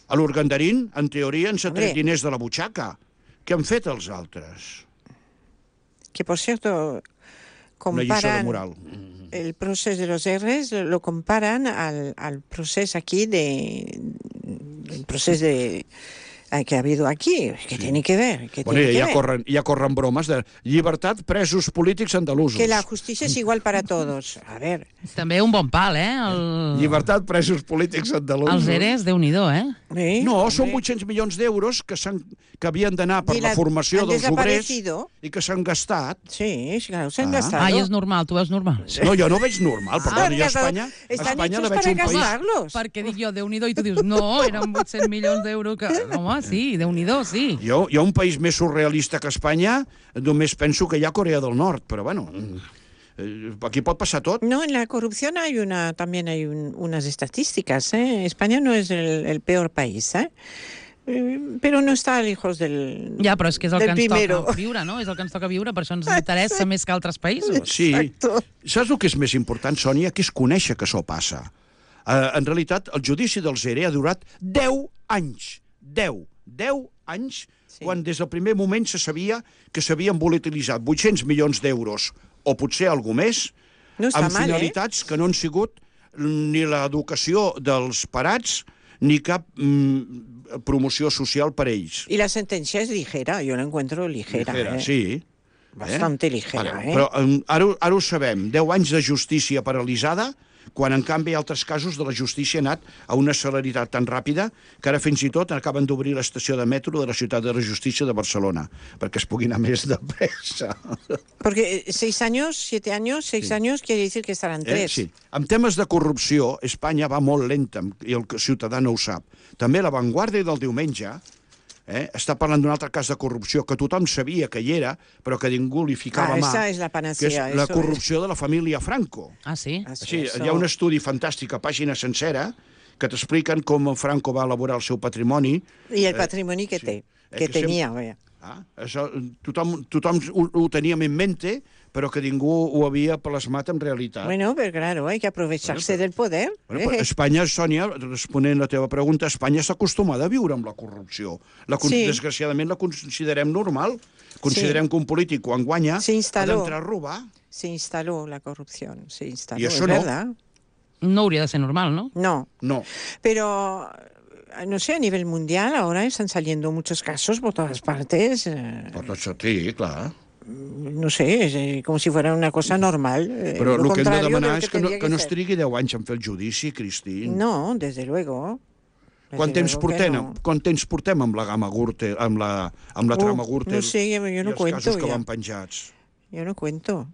S4: A l'Urgandarín, en teoria, ens ha tret
S3: Hombre.
S4: diners de la butxaca. Què han fet els altres?
S3: Que, por cierto,
S4: Una lliçó de
S3: comparan
S4: moral.
S3: el proceso de los R's, lo comparan al, al proceso aquí de... el proceso de... que ha habido aquí, que tiene que ver. Que
S4: Bueno,
S3: tiene que
S4: ja,
S3: ver.
S4: corren, ja corren bromes de llibertat presos polítics andalusos.
S3: Que la justicia es igual para todos. A ver,
S2: També un bon pal, eh? El...
S4: Llibertat presos polítics andalusos.
S2: Els eres, Déu-n'hi-do, eh?
S3: ¿eh?
S4: No, són
S3: Hombre.
S4: vuit-cents milions d'euros que, s'han- que havien d'anar per
S3: I
S4: la
S3: la-
S4: formació
S3: han
S4: dels obrers
S3: desaparecido.
S4: i que s'han gastat.
S3: Sí, claro, se han
S4: Ah.
S3: gastado.
S2: Ah, i és normal, tu veus normal.
S4: No, jo no veig normal,
S3: Ah,
S4: perdoni, a
S3: gastado.
S4: Espanya, a
S3: Están
S4: Espanya la
S3: hechos
S4: veig
S3: para
S4: un país...
S3: gastarlos.
S2: Perquè dic jo, Déu-n'hi-do, i tu dius, no, eren vuit-cents milions d'euros que... Home, sí, Déu-n'hi-do, sí.
S4: Jo, jo, un país més surrealista que Espanya, només penso que hi ha Corea del Nord, però bueno, eh, aquí pot passar tot.
S3: No, en la corrupción hay una, también hay un- unas estadísticas. ¿eh? España no es el, el peor país, ¿eh? Eh, pero no está lejos del,
S2: Ja, però és que és el
S3: del
S2: que ens
S3: primero.
S2: toca viure, no? És el que ens toca viure, per això ens interessa més que altres països.
S4: Sí.
S3: Exacto.
S4: Saps el que és més important, Sònia? Que és conèixer que això passa. Uh, en realitat, el judici dels E R E ha durat deu anys. deu. deu anys,
S3: Sí.
S4: quan des del primer moment se sabia que s'havien volatilitzat vuit-cents milions d'euros, o potser alguna més,
S3: No està
S4: amb
S3: mal, eh?
S4: finalitats que no han sigut ni l'educació dels parats ni cap mm, promoció social per ells.
S3: Y la sentencia es ligera, yo la encuentro ligera.
S4: Ligera,
S3: ¿eh?
S4: sí.
S3: Bastante ligera,
S4: Vale,
S3: ¿eh?
S4: Però um, ara, ho- ara ho sabem, deu anys de justícia paralitzada, quan en canvi altres casos de la justícia ha anat a una celeritat tan ràpida que ara fins i tot acaben d'obrir l'estació de metro de la ciutat de la justícia de Barcelona, perquè es pugui anar més de pressa.
S3: Porque eh, seis años, siete años, seis años quiere decir que estarán
S4: Eh?
S3: tres.
S4: Sí. En temes de corrupció, Espanya va molt lenta, i el ciutadà no ho sap. També la Vanguardia del diumenge eh, està parlant d'un altre cas de corrupció que tothom sabia que hi era, però que ningú li ficava
S3: Ah,
S4: mà,
S3: esa es la
S4: que és
S3: panacea.
S4: la
S3: eso
S4: corrupció de la família Franco.
S2: Ah, sí?
S3: es.
S4: Sí,
S3: Eso-
S4: hi ha un estudi fantàstic a pàgina sencera que t'expliquen com en Franco va elaborar el seu patrimoni.
S3: Y el patrimonio que,
S4: sí.
S3: te,
S4: Eh,
S3: que
S4: que
S3: tenía, vaya.
S4: Ah, això, tothom tothom ho, ho teníem en mente, però que ningú ho havia plasmat en realitat.
S3: Bueno, pero claro, hay que aprovecharse del poder.
S4: Bueno, però
S3: Eh,
S4: Espanya, Sònia, responent a la teva pregunta, Espanya està acostumada a viure amb la corrupció. La, con-
S3: Sí.
S4: Desgraciadament la considerem normal. Considerem que un polític, quan guanya,
S3: Se
S4: ha
S3: instaló.
S4: d'entrar a robar.
S3: Se instaló la corrupción, se instaló,
S4: Y eso
S3: es
S4: no.
S3: verdad.
S2: No hauria de ser normal, no?
S3: No,
S4: No.
S3: pero no sé, a nivel mundial ahora están saliendo muchos casos por todas partes. eh,
S4: Però això, sí, clar.
S3: no sé, es, eh, como si fuera una cosa normal. eh,
S4: Però
S3: lo
S4: el que hem de
S3: contrario
S4: demanar
S3: lo
S4: és que no,
S3: tendría
S4: que no es
S3: ser.
S4: trigui deu anys en fer el judici, Cristín.
S3: No, desde luego. Desde
S4: Quant temps,
S3: luego que
S4: portem,
S3: no.
S4: quant temps portem amb la gamma Gürtel, amb la, amb la
S3: Uh,
S4: trama Gürtel
S3: no sé, yo
S4: i
S3: no
S4: els
S3: cuento
S4: casos que
S3: ya.
S4: van penjats?
S3: Yo no cuento.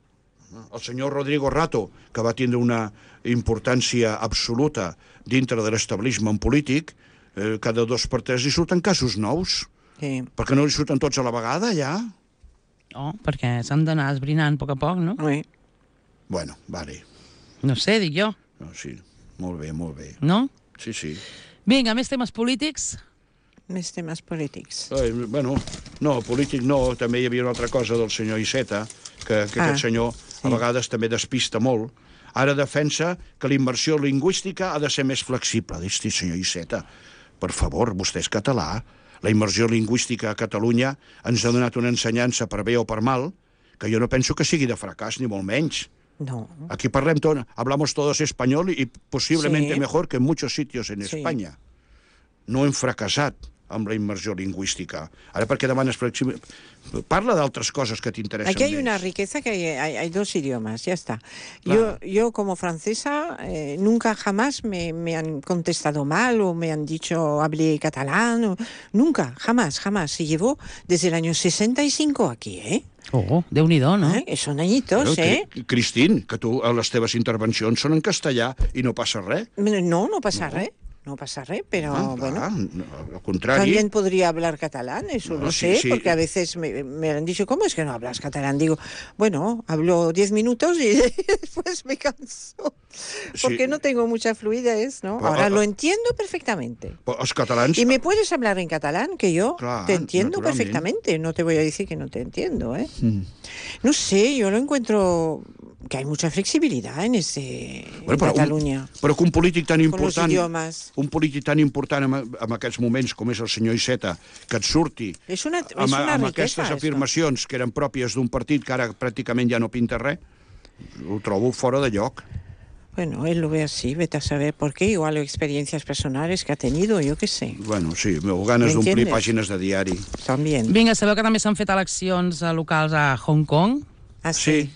S4: El senyor Rodrigo Rato, que va tindre una importància absoluta dintre de l'establishment polític, eh, cada dos per tres li surten casos nous.
S3: Sí.
S4: Per què no li surten tots a la vegada, ja?
S2: Oh, perquè s'han d'anar esbrinant a poc a poc, no?
S3: Oui.
S4: Bueno, vale.
S2: No sé, dic jo.
S4: No, sí, molt bé, molt bé.
S2: No?
S4: Sí, sí.
S2: Vinga, més temes polítics.
S3: Més temes polítics.
S4: Eh, bueno, no, polític no, també hi havia una altra cosa del senyor Iceta, que, que
S3: Ah,
S4: aquest senyor
S3: sí.
S4: a vegades també despista molt. Ara defensa que la immersió lingüística ha de ser més flexible. Dius, senyor Iceta, per favor, vostè és català. La immersió lingüística a Catalunya ens ha donat una ensenyança per bé o per mal, que jo no penso que sigui de fracàs, ni molt menys.
S3: No.
S4: Aquí parlem tot, hablamos todos español y posiblemente
S3: Sí.
S4: mejor que en muchos sitios en
S3: Sí.
S4: España. No hem fracassat amb la immersió lingüística. Ara per què demanes flexible? Parla d'altres coses que t'interessen
S3: Aquí hay
S4: més.
S3: una riqueza que hay, hay- hay dos idiomas, ya está. Yo, yo como francesa, eh, nunca jamás me, me han contestado mal o me han dicho hablé catalán. o- nunca, jamás, jamás. Se llevó desde el año sesenta y cinco aquí, ¿eh?
S2: Oh, Déu-n'hi-do, no?
S3: ¿Eh? Son añitos,
S4: Però,
S3: ¿eh?
S4: Cri- Cristín, que tu, a les teves intervencions són en castellà i no passa res.
S3: No, no pasa res. No pasa res, pero
S4: Ah,
S3: bueno.
S4: va, no, al contrari.
S3: También podría hablar catalán, eso
S4: No,
S3: lo
S4: sí,
S3: sé,
S4: sí.
S3: porque a veces me, me han dicho, ¿cómo es que no hablas catalán? Digo, bueno, hablo diez minutos y después me canso, porque
S4: Sí.
S3: no tengo mucha fluidez, ¿no?
S4: Però,
S3: Ahora
S4: ah,
S3: lo
S4: ah.
S3: entiendo perfectamente.
S4: Però els catalans...
S3: Y me puedes hablar en catalán, que yo
S4: Clar,
S3: te entiendo
S4: naturalment.
S3: perfectamente, no te voy a decir que no te entiendo, ¿eh?
S4: Mm.
S3: No sé, yo lo encuentro que hay mucha flexibilidad en, ese,
S4: Bueno,
S3: en
S4: però,
S3: Cataluña,
S4: un, però que un polític tan
S3: con los
S4: important...
S3: idiomas.
S4: un polític tan important en, en aquests moments com és el senyor Iceta, que et surti
S3: Es una, es
S4: amb,
S3: una
S4: amb
S3: riqueza
S4: aquestes
S3: esto.
S4: afirmacions que eren pròpies d'un partit que ara pràcticament ja no pinta res, ho trobo fora de lloc.
S3: Bueno, él lo ve así, vete a saber por qué, igual experiencias personales que ha tenido, yo qué sé,
S4: Bueno, sí, o ganes
S3: ¿Me
S4: d'omplir
S3: entiendes?
S4: pàgines de diari.
S3: también.
S2: Vinga, sabeu que també s'han fet eleccions eh, locals a Hong Kong?
S3: Así.
S4: Sí.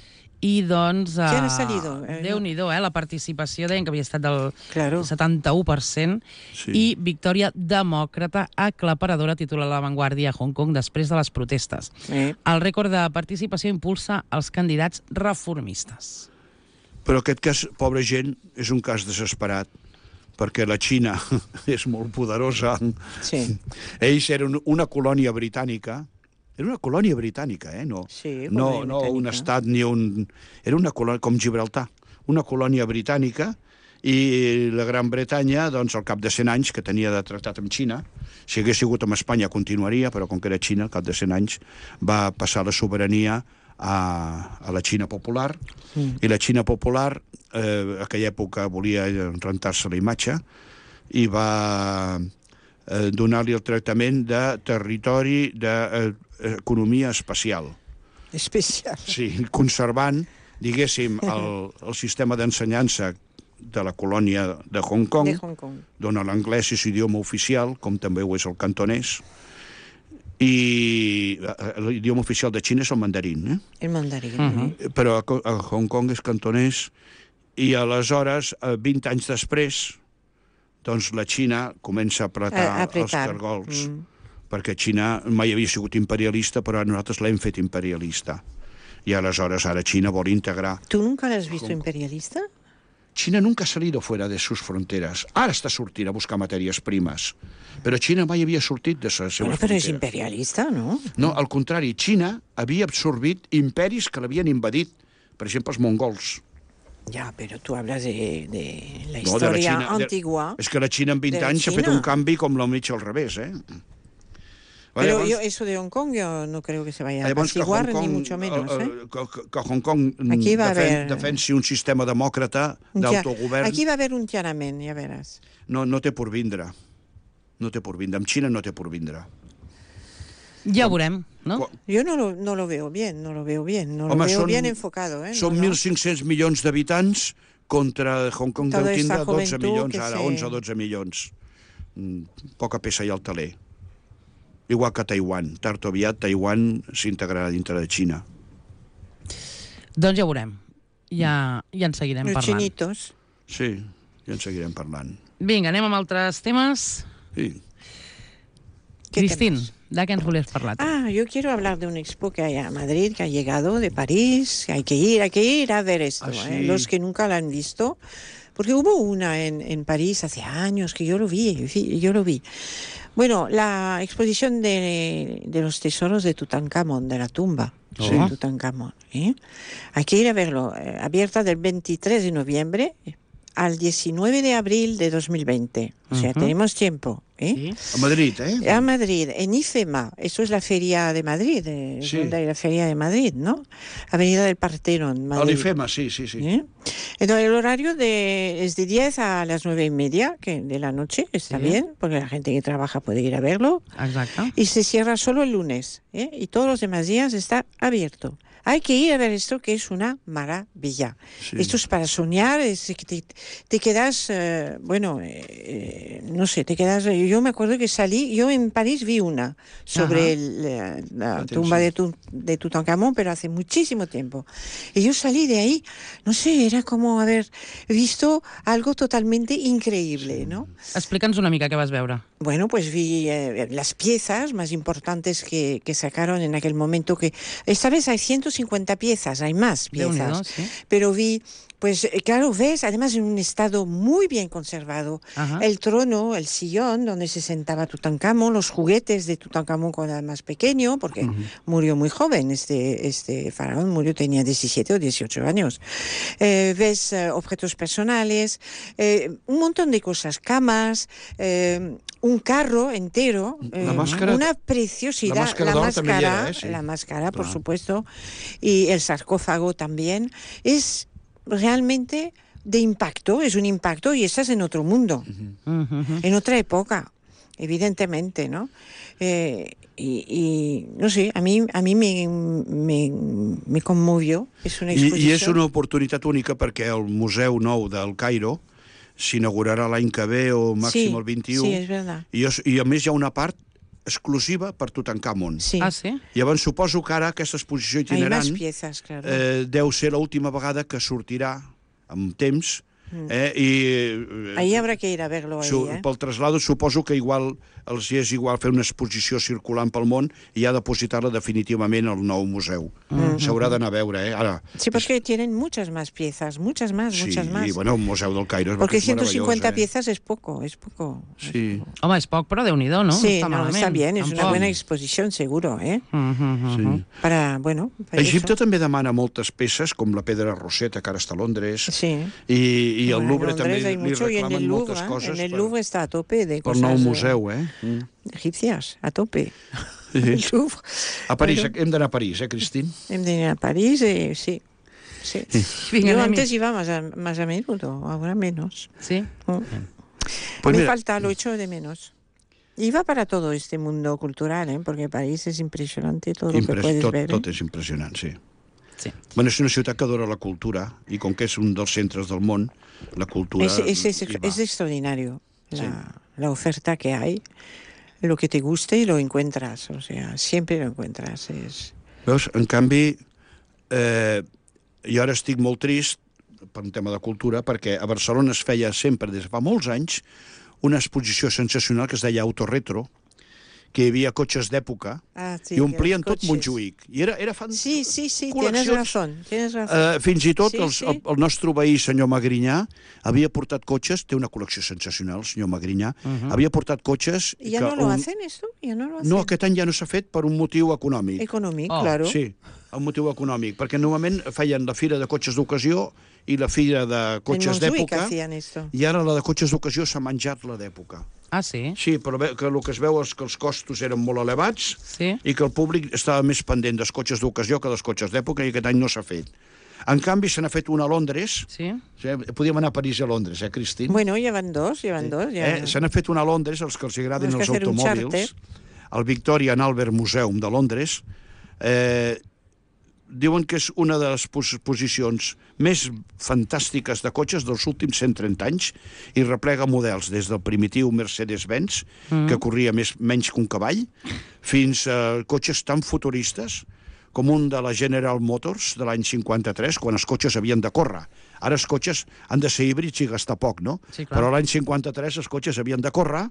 S2: I, doncs...
S3: Qui han
S2: eh,
S3: salido? Eh,
S2: Déu-n'hi-do, eh? La participació deien que havia estat del
S3: Claro.
S2: setanta-u per cent
S4: Sí.
S2: i victòria demòcrata aclaparadora, titula La Vanguardia a Hong Kong després de les protestes.
S3: Eh,
S2: El rècord de participació impulsa els candidats reformistes.
S4: Però aquest cas, pobra gent, és un cas desesperat, perquè la Xina és molt poderosa.
S3: sí,
S4: Ells eren una colònia britànica, era una colònia britànica, eh? No,
S3: Sí,
S4: no,
S3: colònia
S4: no un
S3: britànica.
S4: estat ni un... Era una colònia, com Gibraltar, una colònia britànica, i la Gran Bretanya, doncs, al cap de cent anys que tenia de tractat amb Xina, si hagués sigut amb Espanya continuaria, però com que era Xina, al cap de cent anys, va passar la sobirania a, a la Xina popular, mm. i la Xina popular, eh, a aquella època volia rentar-se la imatge, i va eh, donar-li el tractament de territori d'economia eh, espacial.
S3: especial.
S4: Sí, conservant, diguéssim, el, el sistema d'ensenyança de la colònia de Hong Kong,
S3: De Hong Kong.
S4: dona l'anglès és idioma oficial, com també ho és el cantonès, i eh, l'idioma oficial de Xina és el mandarín, eh?
S3: El mandarín.
S2: Mhm.
S3: eh.
S4: però a, a Hong Kong és cantonès, i aleshores, eh, vint anys després, doncs la Xina comença a apretar,
S3: A- a apretar.
S4: els cargols,
S3: Mm.
S4: perquè Xina mai havia sigut imperialista, però nosaltres l'hem fet imperialista. I aleshores ara Xina vol integrar.
S3: ¿Tú nunca la has visto imperialista?
S4: China nunca ha salido fuera de sus fronteras. Ara està sortint a buscar matèries primes. Però Xina mai havia sortit de les seves
S3: Bueno, pero es
S4: fronteres.
S3: imperialista, ¿no?
S4: No, al contrari, Xina havia absorbit imperis que l'havien invadit. Per exemple, els mongols.
S3: Ya, pero tú hablas de, de la
S4: No, de la
S3: historia
S4: Xina, de-
S3: antigua.
S4: És que la Xina en vint
S3: de la
S4: anys ha fet
S3: Xina.
S4: un canvi com la mig al revés, eh? Vale,
S3: Pero
S4: llavors-
S3: yo, eso de Hong Kong yo no creo que se vaya a
S4: Llavors que
S3: apaciguar,
S4: Hong Kong,
S3: ni mucho menos,
S4: eh,
S3: ¿eh?
S4: eh, que, que- que Hong Kong mm,
S3: Aquí va a
S4: defen,
S3: haber-
S4: defensi un sistema demòcrata
S3: Un tia-
S4: d'autogovern,
S3: Aquí va a haver un Tiananmen, ya verás.
S4: no, no té por vindre. No té por vindre. Amb Xina no té por vindre.
S2: Ja ho veurem, no?
S4: Quan-
S3: Yo no lo, no lo veo bien, no lo veo bien, no lo
S4: Home,
S3: veo
S4: són-
S3: bien enfocado, ¿eh?
S4: Són
S3: No, no.
S4: mil cinc-cents milions d'habitants contra Hong Kong
S3: Toda
S4: deu tindre
S3: esta
S4: dotze
S3: juventud
S4: milions,
S3: que
S4: ara
S3: se-
S4: onze o dotze milions. Mm, poca peça hi ha al taler. Igual que Taiwan. Tard o aviat Taiwan s'integrarà dintre de Xina.
S2: Doncs ja ho veurem. Ja, ja en seguirem
S3: Los
S2: parlant.
S3: chinitos.
S4: Sí, ja en seguirem parlant.
S2: Vinga, anem amb altres temes.
S4: Sí.
S3: ¿Qué
S2: Cristín,
S3: temes?
S2: De què ens volies parlar?
S3: Ah, yo quiero hablar de una expo que hay a Madrid, que ha llegado de París, que hay que ir, hay que ir a ver esto,
S4: Ah, sí.
S3: ¿eh? Los que nunca la han visto, porque hubo una en, en París hace años que yo lo vi, yo lo vi. Bueno, la exposición de, de los tesoros de Tutankamón, de la tumba
S2: Sí.
S3: de Tutankamón, ¿eh? Hay que ir a verlo, eh, abierta del veintitrés de noviembre al diecinueve de abril de dos mil veinte. O sea,
S2: Ujú.
S3: tenemos tiempo, ¿eh?
S2: Sí.
S4: A Madrid, eh?
S3: A Madrid, en IFEMA, eso es la feria de Madrid, eh,
S4: Sí.
S3: donde hay la feria de Madrid, ¿no? Avenida del Partenón,
S4: A
S3: Madrid.
S4: l'IFEMA, sí, sí, sí.
S3: ¿Eh? Entonces el horario de, es de diez a las nueve y media que de la noche, está
S2: Sí.
S3: bien, porque la gente que trabaja puede ir a verlo.
S2: Exacte.
S3: Y se cierra solo el lunes, ¿eh? Y todos los demás días está abierto. Hay que ir a ver esto, que es una maravilla.
S4: Sí.
S3: Esto es para soñar, es que te, te quedas, eh, bueno, eh, no sé, te quedas... Yo me acuerdo que salí, yo en París vi una sobre
S2: Ajá.
S3: el- la, la
S4: Atención.
S3: tumba de, tu, de Tutankamón, pero hace muchísimo tiempo. Y yo salí de ahí, no sé, era como haber visto algo totalmente increíble, ¿no?
S2: Explica'ns una mica què vas veure.
S3: Bueno, pues vi eh, las piezas más importantes que, que sacaron en aquel momento, que esta vez hay ciento cincuenta piezas, hay más
S2: Déu-n'hi-do,
S3: piezas,
S2: sí.
S3: pero vi, pues eh, claro, ves, además en un estado muy bien conservado,
S2: Ajá.
S3: el trono, el sillón donde se sentaba Tutankamón, los juguetes de Tutankamón cuando era más pequeño, porque murió muy joven, este, este faraón murió, tenía diecisiete o dieciocho años. Eh, ves eh, objetos personales, eh, un montón de cosas, camas, eh, un carro entero,
S4: La
S3: eh,
S4: máscara-
S3: una preciosidad,
S4: la máscara d'or també hi era, eh? Sí.
S3: la máscara, por
S4: Clar.
S3: supuesto, y el sarcófago también, es realmente de impacto, es un impacto y estás en otro mundo,
S2: Mhm.
S3: en otra época, evidentemente, ¿no? Eh, y, y, no sé, a mí, a mí me, me, me conmovió, es una
S4: I,
S3: exposición.
S4: I és una oportunitat única perquè el Museu Nou del Cairo s'inaugurarà l'any que ve o màxim
S3: Sí,
S4: el vint-i-u.
S3: sí, és verdad.
S4: I, és, I a més hi ha una part exclusiva per Tutankamon.
S3: Sí,
S2: Ah, sí?
S4: Llavors suposo que ara aquesta exposició
S3: hay más
S4: itinerant
S3: piezas, claro.
S4: eh, deu ser l'última vegada que sortirà amb temps eh, i eh,
S3: Ahí habrá que ir a verlo ahí,
S4: su,
S3: ¿eh?
S4: pel traslado suposo que igual els hi és igual fer una exposició circulant pel món i ja depositar-la definitivament al nou museu. S'haurà d'anar a veure, eh? Ara,
S3: Sí, porque tienen muchas más piezas, muchas más,
S4: sí,
S3: muchas más.
S4: i bueno, el Museu del Cairo és
S3: Porque
S4: és
S3: ciento cincuenta
S4: meravellós, eh?
S3: piezas es poco, es poco.
S4: Sí,
S2: Home, és poc, però Déu-n'hi-do, no?
S3: Sí,
S2: està
S3: no,
S2: malament.
S3: está bien, es una
S2: Tampoc.
S3: buena exposición, seguro, ¿eh?
S2: Mhm,
S4: sí.
S2: mhm.
S3: Para, bueno, para
S4: Egipte
S3: eso.
S4: també demana moltes peces, com la pedra Rosetta, que ara està a Londres,
S3: Sí.
S4: i, i el
S3: Bueno, en
S4: Louvre
S3: Londres
S4: també
S3: hay
S4: li
S3: mucho, y en
S4: reclamen
S3: el Louvre,
S4: moltes
S3: ¿eh?
S4: coses
S3: En el
S4: per,
S3: Louvre está a tope de
S4: pel
S3: cosas
S4: nou
S3: eh,
S4: museu, eh? Mm.
S3: egipcias, a tope.
S4: Sí.
S3: El Louvre.
S4: A París,
S3: Bueno.
S4: hem d'anar a París, eh, Cristín?
S3: Hem de ir a París, eh, sí. Sí.
S2: Vinga,
S3: Yo
S2: anem-hi.
S3: antes iba más a, más a menudo, ahora menos.
S2: Sí?
S3: Mm.
S4: Pues
S3: Me
S4: mira,
S3: falta, lo echo de menos. Iba para todo este mundo cultural, ¿eh? Porque París es impresionante todo lo que
S4: impres-
S3: puedes
S4: tot,
S3: ver. ¿eh?
S4: tot és impressionant, sí.
S2: Sí.
S4: Bueno, és una ciutat que adora la cultura, i com que és un dels centres del món, la cultura...
S3: Es, es, es,
S4: hi va.
S3: es extraordinario la,
S4: Sí.
S3: la oferta que hay. Lo que te guste lo encuentras, o sea, siempre lo encuentras. Es...
S4: Veus, en canvi, eh, jo ara estic molt trist per un tema de cultura, perquè a Barcelona es feia sempre, des de fa molts anys, una exposició sensacional que es deia Autoretro, que hi havia cotxes d'època,
S3: Ah, sí,
S4: i omplien
S3: los
S4: tot
S3: coches.
S4: Montjuïc. I era, era fan...
S3: Sí, sí, sí, tienes
S4: col·leccions.
S3: razón, tienes razón.
S4: Eh, fins i tot
S3: Sí,
S4: el,
S3: sí.
S4: el, el nostre veí, senyor Magrinyà, havia portat cotxes, té una col·lecció sensacional, el senyor Magrinyà, havia portat cotxes...
S3: ¿Y ya
S4: que
S3: no lo
S4: un-
S3: hacen esto? ¿Ya no lo hacen?
S4: No, aquest any ja no s'ha fet per un motiu econòmic.
S3: Económico,
S2: Oh,
S3: claro.
S4: Sí, un motiu econòmic, perquè normalment feien la fira de cotxes d'ocasió i la fira de
S3: En
S4: cotxes
S3: Montjuïc
S4: d'època,
S3: hacían esto.
S4: i ara la de cotxes d'ocasió s'ha menjat la d'època.
S2: Ah, sí?
S4: Sí, però ve- que el que es veu és que els costos eren molt elevats
S2: Sí?
S4: i que el públic estava més pendent dels cotxes d'ocasió que dels cotxes d'època, i aquest any no s'ha fet. En canvi, se n'ha fet una a Londres.
S2: Sí?
S4: O sigui, podíem anar a París i a Londres, eh, Cristín?
S3: Bueno, llevan dos, llevan dos. Ya.
S4: Eh, se n'ha fet una a Londres, els que els agradin
S3: Temos que
S4: els
S3: hacer un
S4: automòbils, al Victoria and Albert Museum de Londres. Eh, diuen que és una de les exposicions més fantàstiques de cotxes dels últims cent trenta anys i replega models des del primitiu Mercedes-Benz, mm. que corria més, menys que un cavall, fins a cotxes tan futuristes com un de la General Motors de l'any cinquanta-tres, quan els cotxes havien de córrer. Ara els cotxes han de ser híbrids i gastar poc, no?
S2: Sí, clar.
S4: Però l'any cinquanta-tres els cotxes havien de córrer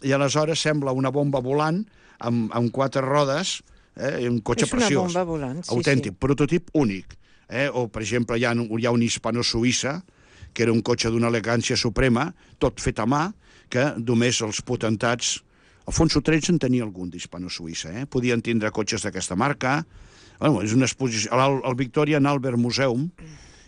S4: i aleshores sembla una bomba volant amb, amb quatre rodes, eh, un cotxe
S3: És una
S4: preciós,
S3: bomba volant, sí,
S4: autèntic,
S3: sí.
S4: prototip únic. Eh? O, per exemple, hi ha, hi ha un hispano-suïssa, que era un cotxe d'una elegància suprema, tot fet a mà, que només els potentats... Alfonso tretze en tenia algun d'hispano-suïssa, eh? Podien tindre cotxes d'aquesta marca. Bueno, és una exposició... El, el Victorian Albert Museum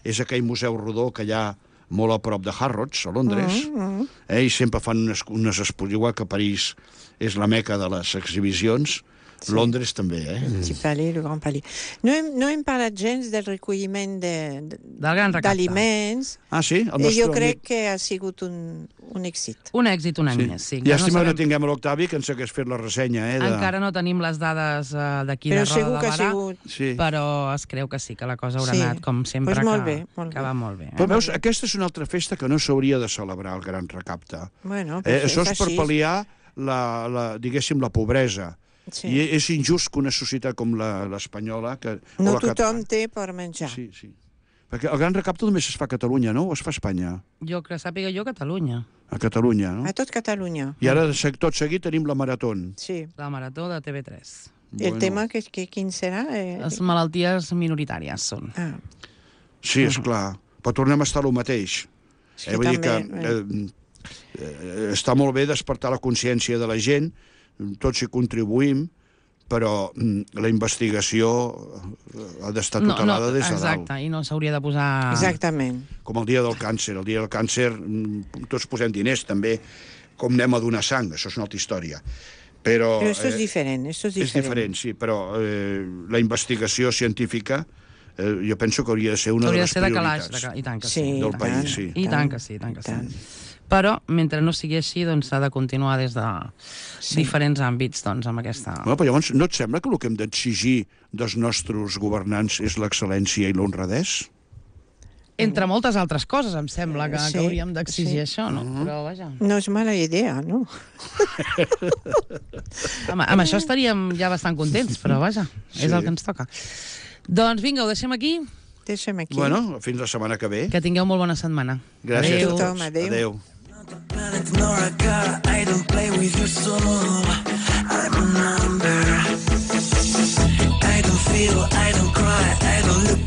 S4: és aquell museu rodó que hi ha molt a prop de Harrods, a Londres,
S3: Mm, mm.
S4: eh? I sempre fan unes, unes exposicions, igual que París és la meca de les exhibicions, sí. Londres també, eh?
S3: El Petit Palais, el Grand Palais. No hem, no hem parlat gens del recolliment de- de-
S2: Del gran recapte.
S3: d'aliments.
S4: Ah, sí? El
S3: I
S4: nostre
S3: jo crec
S4: amic...
S3: que ha sigut un, un èxit.
S2: Un èxit un any
S4: Sí.
S2: més, sí.
S4: Llàstima
S2: no
S4: que no
S2: sabem-
S4: tinguem l'Octavi, que ens hagués fet la ressenya, eh? De...
S2: Encara no tenim les dades uh, d'aquí de
S3: Però
S2: Roda
S3: segur
S2: de
S3: que ha
S2: Barà,
S3: sigut...
S4: Sí.
S2: però es creu que sí, que la cosa haurà
S3: Sí.
S2: anat, com sempre,
S3: Pues molt
S2: que,
S3: bé, molt
S2: que
S3: bé.
S2: va molt bé. Eh?
S4: Però veus, aquesta és una altra festa que no s'hauria de celebrar, el Gran Recapte.
S3: Bueno,
S4: Eh,
S3: pues
S4: això és per
S3: així.
S4: pal·liar la, la, diguéssim, la pobresa.
S3: Sí.
S4: I és injust que una societat com la- l'espanyola... que o
S3: No
S4: la
S3: tothom
S4: catalana-
S3: té per menjar.
S4: Sí, sí. Perquè el Gran Recapte només es fa a Catalunya, no? O es fa a Espanya?
S2: Jo que sàpiga jo, Catalunya.
S4: A Catalunya, no?
S3: A tot Catalunya.
S4: I ara, de seg- tot seguit, tenim la Maratón.
S3: Sí.
S2: La Marató de T V tres.
S3: El tema, que, que, quin serà? Eh,
S2: Les malalties minoritàries són.
S3: Ah,
S4: Sí, és clar. Però tornem a estar el mateix.
S3: és
S4: Eh,
S3: que
S4: vull dir que
S3: també...
S4: eh, eh, està molt bé despertar la consciència de la gent, tots hi contribuïm, però mm, la investigació eh, ha d'estar tutelada des de
S2: exacte,
S4: dalt.
S2: i no s'hauria de posar...
S3: Exactament.
S4: Com el dia del càncer. El dia del càncer mm, tots posem diners, també, com anem a donar sang, això és una altra història. Però,
S3: Però això és
S4: eh,
S3: diferent, això és
S4: és
S3: diferent.
S4: diferent, sí, però eh, la investigació científica eh, jo penso que hauria de ser una
S2: Hauria
S4: de
S2: de
S4: les
S2: ser de calaix,
S4: prioritats.
S2: de ca... i tant que
S3: Sí,
S2: sí.
S4: del
S3: i
S4: país,
S3: tant,
S4: sí.
S2: I tant que sí, i tant que sí.
S3: tant.
S2: Però, mentre no sigui així, doncs s'ha de continuar des de
S3: Sí.
S2: diferents àmbits, doncs, amb aquesta...
S4: Bueno, però llavors, no et sembla que el que hem d'exigir dels nostres governants és l'excel·lència i l'honradès?
S2: Entre moltes altres coses, em sembla, que,
S3: Sí,
S2: que hauríem d'exigir
S3: sí.
S2: això, no? Però, vaja,
S3: No és mala idea, no?
S2: amb, amb això estaríem ja bastant contents, però, vaja, és
S4: Sí.
S2: el que ens toca. Doncs vinga, ho deixem aquí.
S3: Deixem aquí.
S4: Bueno, fins la setmana que ve.
S2: Que tingueu molt bona setmana.
S4: Gràcies
S2: Adéu.
S4: a
S3: Tothom,
S4: tots.
S3: adéu.
S4: Adéu.
S5: Nor a car, I don't play with your soul. I'm a number. I don't feel, I don't cry,